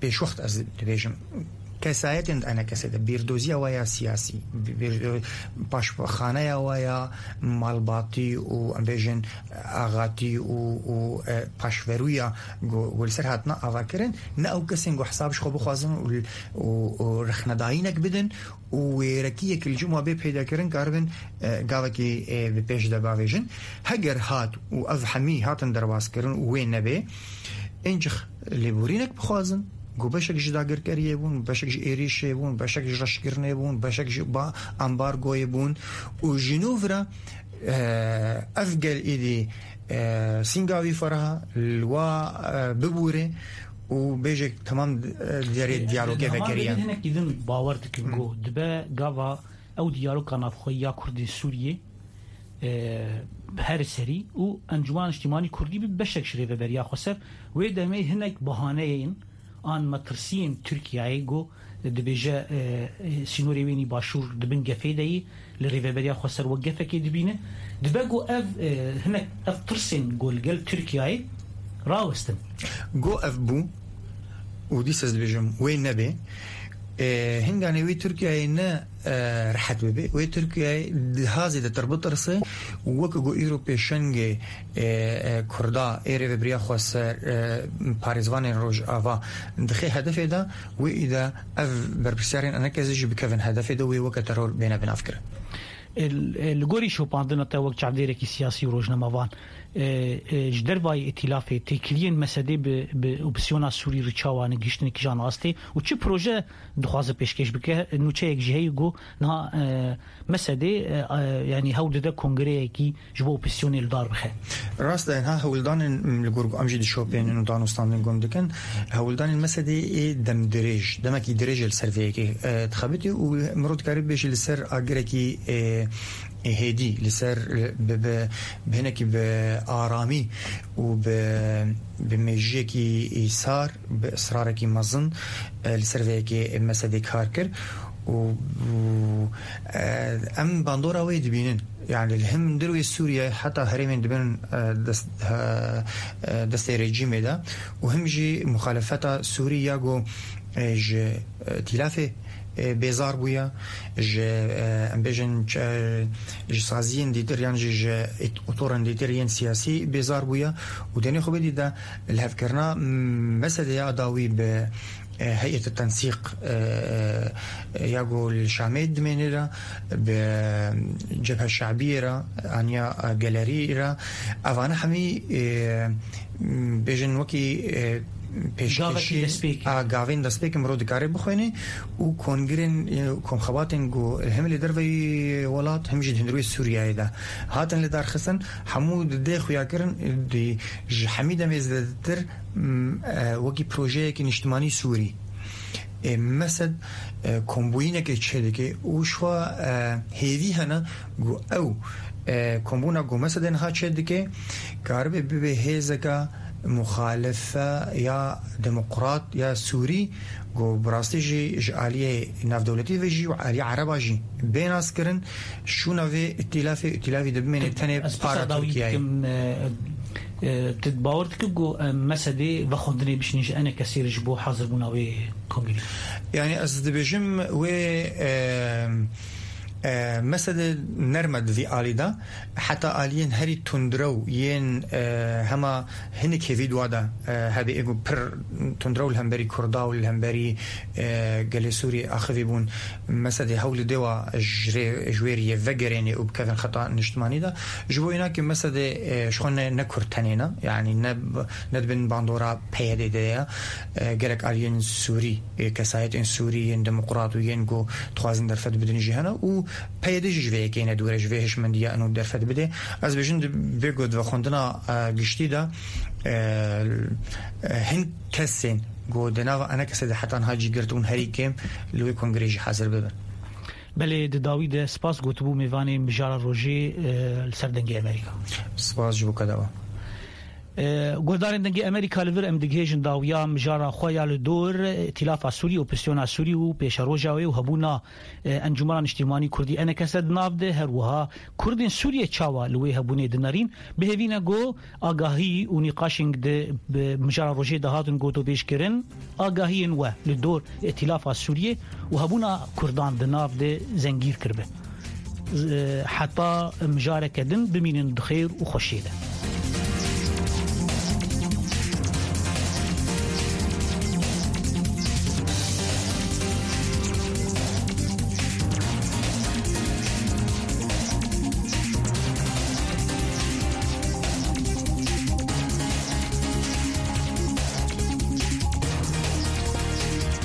pêşwext ez dibêjim. Kesayetên di enekesê de bîrdoziya wa ya siyasî, bîr-, paşxaneya wa ya malbatî û em bêjin axatî û, û, e, paşverûya ku, ku li ser hatina avakirin, ne ew kesên ku hesab ji xwe bixwazin û, û, û rexnedayînek bidin û wêrekiyek li cem wa bê peydakirin karibin, e, gavekî, e, bi pêş de bavêjin. Heger hat û ev hemî hatin derbas kirin û wê nebe, Ên jix lêborînek bixwazin, ku beşek ji dagirkeriyê bûn, beşek ji êrîşê bûn, beşek ji reşkirinê bûn, beşek ji ba-, ambargoyê bûn û ji nû vira, e, ev gel êdî, e, sînga wî ferha li wa, e, bibûre û bêje temam, e, derê E, diyalogê niha vekeriye. Hinek dîtin bawer dikin ku dibe gava ew diyaloga navxweyî ya Kurdên Sûriyê, e, her serî û Encûmena Niştimanî Kurdî bi beşek ji Rêveberiya Xweser. Wê demê hinek bahaneyên an metirsiyên Tirkiyeyê ku dibêje, e, e, sînorê wênî başûr di bin gefê de yî, li Rêveberiya Xweser wek gefekê dibîne. Dibe ku ev, e, hinek ev tirsên ku li gel Tirkiyeyê rawestin. Go ev bû û dîsa ez dibêjim wê nebe. E, hinganê wê Tirkiyeyê ne, e, rehet bibe. Wê Tirkiyeyê daha zêdetir bitirse û weke ku îro pêşengê, e, e, Kurda ê Rêveberiya Xweser, e, parêzvanên Rojava dixe hedefê de, wê îde ev berpirsiyarên eneke zî jî bikevin hedefê de, wê weke teror bêne binavkirin. E, li gorî şopandina te wek çavdêrekî siyasî û rojnamevan, e, e, ji dervayî îtîlafê têkiliyên Mesedê bi, bi opsiyona Sûrî re çawa ne gihiştin kîjan astê û çi proje dixwaze pêşkêş bike? Nûçeyek jî heye ku niha, e, Mesedê, e, e, yanî hewl dide kongreyekî ji bo opsiyonê li dar bixe. Rast e, ha hewldanên, m, li gor em jî dişopênin û danûstandin gund dikin. Hewldanên Mesedê ê demdirêj, demekî dirêj li ser vê yekê, e, dixebitî û mirov dikare bibêje li ser agirekî, e, e, hêdî, li ser, e, bi, bi, bi hinekî bi aramî û bi, bi mêjiyekî îsar, bi israrekî mezin, e, li ser vê yekê Mesedê kar kir û, û, e, em bandora wê dibînin. Yani li him hundir wê Sûriye heta herêmên dibin, e, dest, e, e, destê rejîmê de û him jî muxalefeta Sûrî ya ku, e, ji, e, tîlafê, e, bêzar bûye, ji, e, em bêjin, e, ji saziyên dîtir yan jî ji ît-, otorên dîtir yên siyasî bêzar bûye û denê xwe bidî de lihevkirina Mesedê ya dawî bi e, heyet tensîq, e, e, ya ku li Şamê dimêne re, bi Cebhe Şabiyê re, aniya, e, gelerî re, evane hemî, e, bêjin wekî, e, pêşkêşî, gavekî destpêk, a, gavên destpêk mirov dikare bixwêne û kongirên, e, komxebatên ku hem li derveyî welat hem jî di hundirê Sûriyeyê de hatin li darxistin, hemû didê xuya kirin, di, ji hemî demê zêdetir m, e, wekî projeyekî niştimanî Sûrî. E, Mesed, e, kombûyînekê çêdike û ji xwe, e, hêvî hene ku ew, e, kombûna ku Mesedê niha çêdike, karibe bibe hêzeke muxalife ya demokrat ya Sûrî, ku bi rastî jî ji aliyê navdewletî ve jî û aliyê ereba jî bê naskirin, şûna vê îtîlafê, îtîlafî de bimêne tenê para Tirkiyeyê. Dikim, e, e, tu bawer dikî ku, e, Mesedê vexwendinê bişînin ji eneke sêr ji bo hazirbûna wê kongrê? Yani ez dibêjim wê, e, E, mesele nerme di vî alî de, heta aliyên herî tundrew yên, e, hema hinek hêvî di wa de, e, hebe ê ku pir tundrew li hemberî Kurda û li hemberî, e, gelê Sûriyê axivî bûn. Mesele hewlî dê wa ji rê, ji wê riyê vegerênê û bikevin xeta niştimanî de. Ji bo înakê mesele, e, ji xwe ne, ne Kurd tenê ne. Yanî ne, ne di bin bandora P Y D de ye. E, gelek aliyên Sûrî, e, kesayetên Sûrî yên demokrat û yên ku dixwazin derfet bidin jî hene û P Y D jî ji vê yekê ne dûr e, ji vê hişmendiya eno derfet bide. Ez bêjim di vê ku di vexwendina, e, giştî de, e, e, hin kesên ku di nava ene kesê de heta niha cî girtibûn herî kêm li wê kongrê jî hazir bibin. Belê, di dawî de spas gotibû mêvanê Mijara Rojê, e, li ser Dengê Amerîka. Spas ji bo keda we. E, guhdarên Dengê Amerîka, li vir em digihêjin dawiya mijara xwe ya li dor Îtîlafa Sûrî, Opozîsyona Sûrî û pêşeroja wê û hebûna, e, Encûmena Niştîmanî Kurdî, E N K S, di nav de. Her wiha Kurdên Sûriyê çawa li wê hebûnê dinerîn? Bi hêvî ne ku agahî û nîqaşên di bi mijara rojê de hatin gotûbêjkirin, agahiyên we li dor Îtîlafa Sûriyê û hebûna Kurdan di nav de zengîr kiribe. Z-, heta mijareke din bimînin di xêr û xweşiyê de.